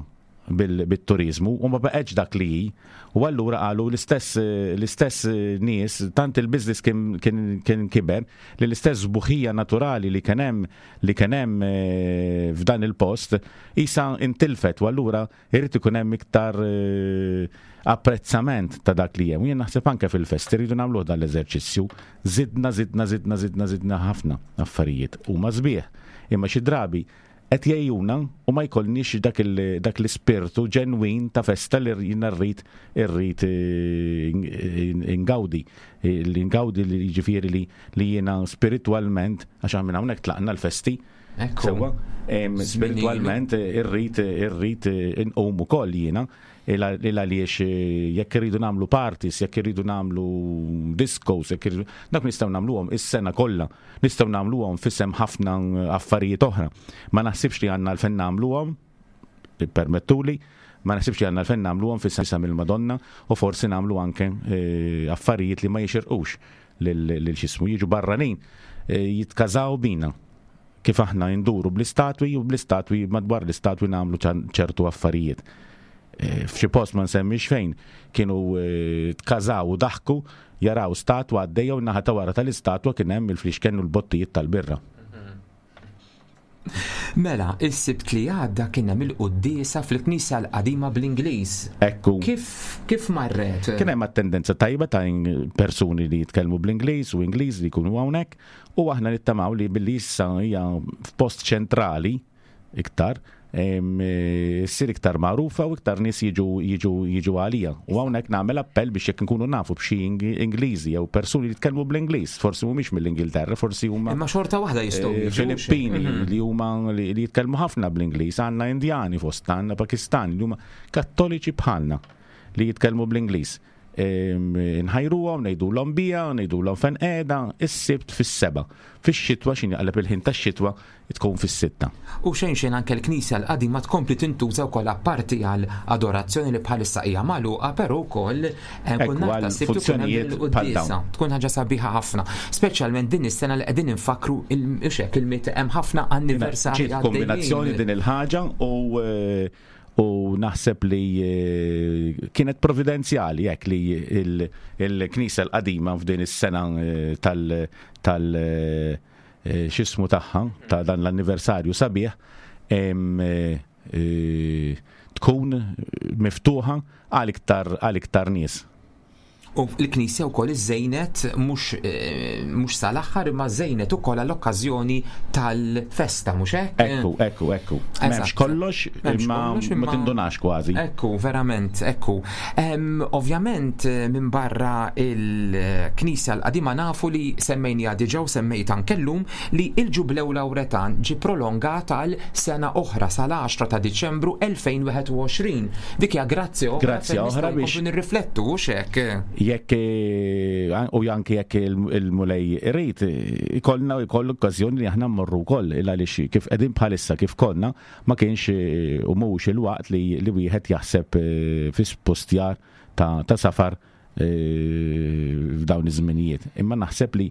bit-turiżmu u ma baqgħetx dak li hi. U allura qalu l-istess l-istess nies tant il-business kien kien kiber li l-istess sbuħija naturali li kien hemm li kien hemm eh, f'dan il-post isa intilfet u allura Irid ikun hemm iktar apprezzament ta' dak li hemm. Jien naħseb anke fil-festi rridu nagħmluh dan l-eżerċizzju. Żidna, żidna, żidna, żidna, żidna ħafna affarijiet. Huma sbieħ. Imma xi drabi qed jgħejjuna u ma jkollniex dak l-ispirtu ġenwin ta' festa li jiena rrid irrid ingawdi. Li ngawdi li jiġifieri li jiena spiritwalment għax minn hawnhekk tlaqna l-festi Sewwa, spiritualment irrid irrid inqum ukoll jiena il għaliex eh, jekk irridu nagħmlu parties, jekk irridu nagħmlu discos, jekk irridu dak nistgħu nagħmluhom is-sena kollha, nistgħu nagħmluhom f'isem ħafna affarijiet oħra. Ma naħsibx li għandna l-fen nagħmluhom, permettuli, ma naħsibx li għandna l-fen nagħmluhom f'isem il-Madonna u forsi nagħmlu anke eh, affarijiet li ma jixirqux lil xismu jiġu barranin eh, jitkażaw bina kif aħna nduru bl-istatwi u bl-istatwi madwar l-istatwi nagħmlu ċertu affarijiet. Eh, f'xi post ma nsemmix fejn kienu eh, tkażaw u daħku jaraw statwa għaddejja u naħa ta' wara tal-istatwa kien hemm il-flixken u l-bottijiet tal-birra. Mela, is-Sibt li għadda kien hemm il-quddiesa fil-Knisja l-Qadima bl-Ingliż. Ekku. Kif kif marret? Kien hemm attendenza tajba ta' persuni li jitkellmu bl-Ingliż u Ingliż li jkunu hawnhekk u aħna nittamaw li billi issa hija f'post ċentrali iktar ssir iktar magħrufa u iktar nies jiġu jiġu jiġu għalija. U hawnhekk nagħmel appell biex jekk inkunu nafu b'xi Ingliżi jew persuni li jitkellmu bl-Ingliż, forsi mhumiex mill-Ingilterra, forsi huma Imma xorta waħda jistgħu eh, Filippini mhm. li huma li jitkellmu ħafna bl-Ingliż, għandna Indjani fost għandna Pakistani li huma Kattoliċi bħalna li jitkellmu bl-Ingliż. Nħajruhom, ngħidulhom bija, ngħidulhom fejn qiegħda, is-Sibt fis-sebgħa. Fix-xitwa x'in jaqleb il-ħin tax-xitwa tkun fis-sitta. U xejn xejn anke l-knisja l-qadima tkompli tintuża wkoll apparti għal adorazzjoni li bħalissa hija magħluqa, però wkoll eh, kull nhar ta' Sibt ikun hemm il-quddiesa. Tkun ħaġa sabiħa ħafna, speċjalment din is-sena li qegħdin infakkru il-xek il-miet hemm ħafna anniversarji. Ġiet kombinazzjoni din il-ħaġa u eh, u naħseb li eh, kienet providenzjali jekk li il-Knisja l-qadima f'din is-sena eh, tal tal eh, xismu tagħha ta' dan l-anniversarju sabiħ tkun miftuħa għal iktar għal iktar nies. U l-Knisja wkoll iżżejnet mhux eh, mhux sal-aħħar imma żejnet ukoll għall-okkażjoni tal-festa, mhux hekk? Ekku, ekku, ekku. M'hemmx kollox imma ma tindunax kważi. Ekku, verament, ekku. Ovvjament eh, minn barra il-Knisja l-qadima nafu li semmejnija diġà u semmejt anke llum li il-Ġublew Lawretan ġie prolongat għal sena oħra sal-10 ta' Diċembru 2021. Dik hija grazzja oħra. Grazzja oħra biex nirriflettu hux hekk. Jekk eh, u anke jekk il-Mulej irid ikollna jkollu okkażjoni li aħna mmorru wkoll il għaliex kif qegħdin bħalissa kif konna ma kienx eh, u mhux il-waqt li li wieħed jaħseb eh, fi spostjar ta', ta safar f'dawn iż-żminijiet. Imma naħseb li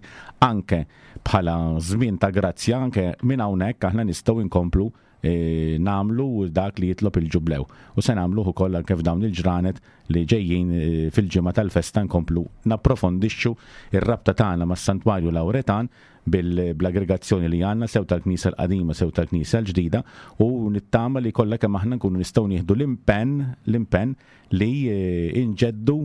anke bħala żmien ta' grazzja anke minn hawnhekk aħna nistgħu nkomplu nagħmlu dak li jitlob il-Ġublew. U se nagħmluh ukoll anke f'dawn il-ġranet li ġejjin fil-ġimgħa tal-festa nkomplu napprofondixxu r-rabta tagħna mas-Santwarju Lawretan bl-aggregazzjoni li għandna sew tal-Knisja l-qadima sew tal-Knisja l-ġdida u nittama li kollha kemm aħna nkunu nistgħu nieħdu l-impenn l-impenn li nġeddu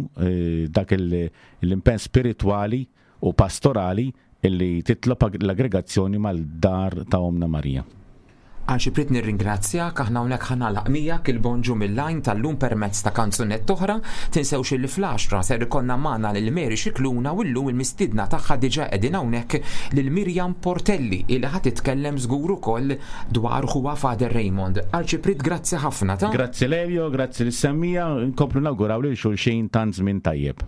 dak l-impenn spiritwali u pastorali illi titlob l-aggregazzjoni mal-dar ta' Ommna Marija. Arċipriet nirringrazzjak, aħna hawnhekk ħa nagħlaq miegħek il-Bonġu mill-Għajn tal-lum permezz ta' kanzunetta oħra. Tinsewx illi fl-għaxra ser ikollna magħna lil Mary Scicluna u llum il-mistiedna tagħha diġà qegħdin hawnhekk lil Miriam Portelli illi ħa titkellem żgur ukoll dwar ħuha Father Raymond. Arċipriet grazzi ħafna ta'. Grazzi Lelio, grazzi lis-semmiegħa, nkomplu nawguraw lil xulxin tant żmien tajjeb.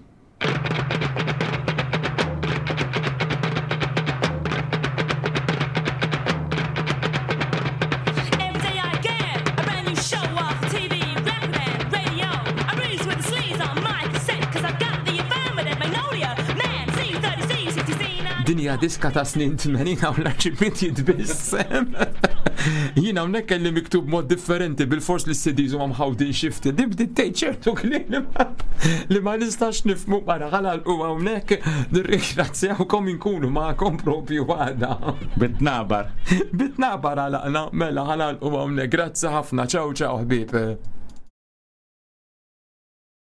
Din hija diska ta' snin 80 hawn l-arċipriet jitbissem. Jien hawnhekk kelli miktub mod differenti bil-fors li s-CDs huma mħawdin xi ftit. Din bdiet tgħid ċertu kliem li ma nistax nifmu mara ħalal u hawnhekk nirringrazzjawkom inkunu magħkom propju għada. Bitnabar. Bitnabar għalaqna mela ħalal u hawnhekk. Grazzi ħafna. Ciao ciao ħbieb.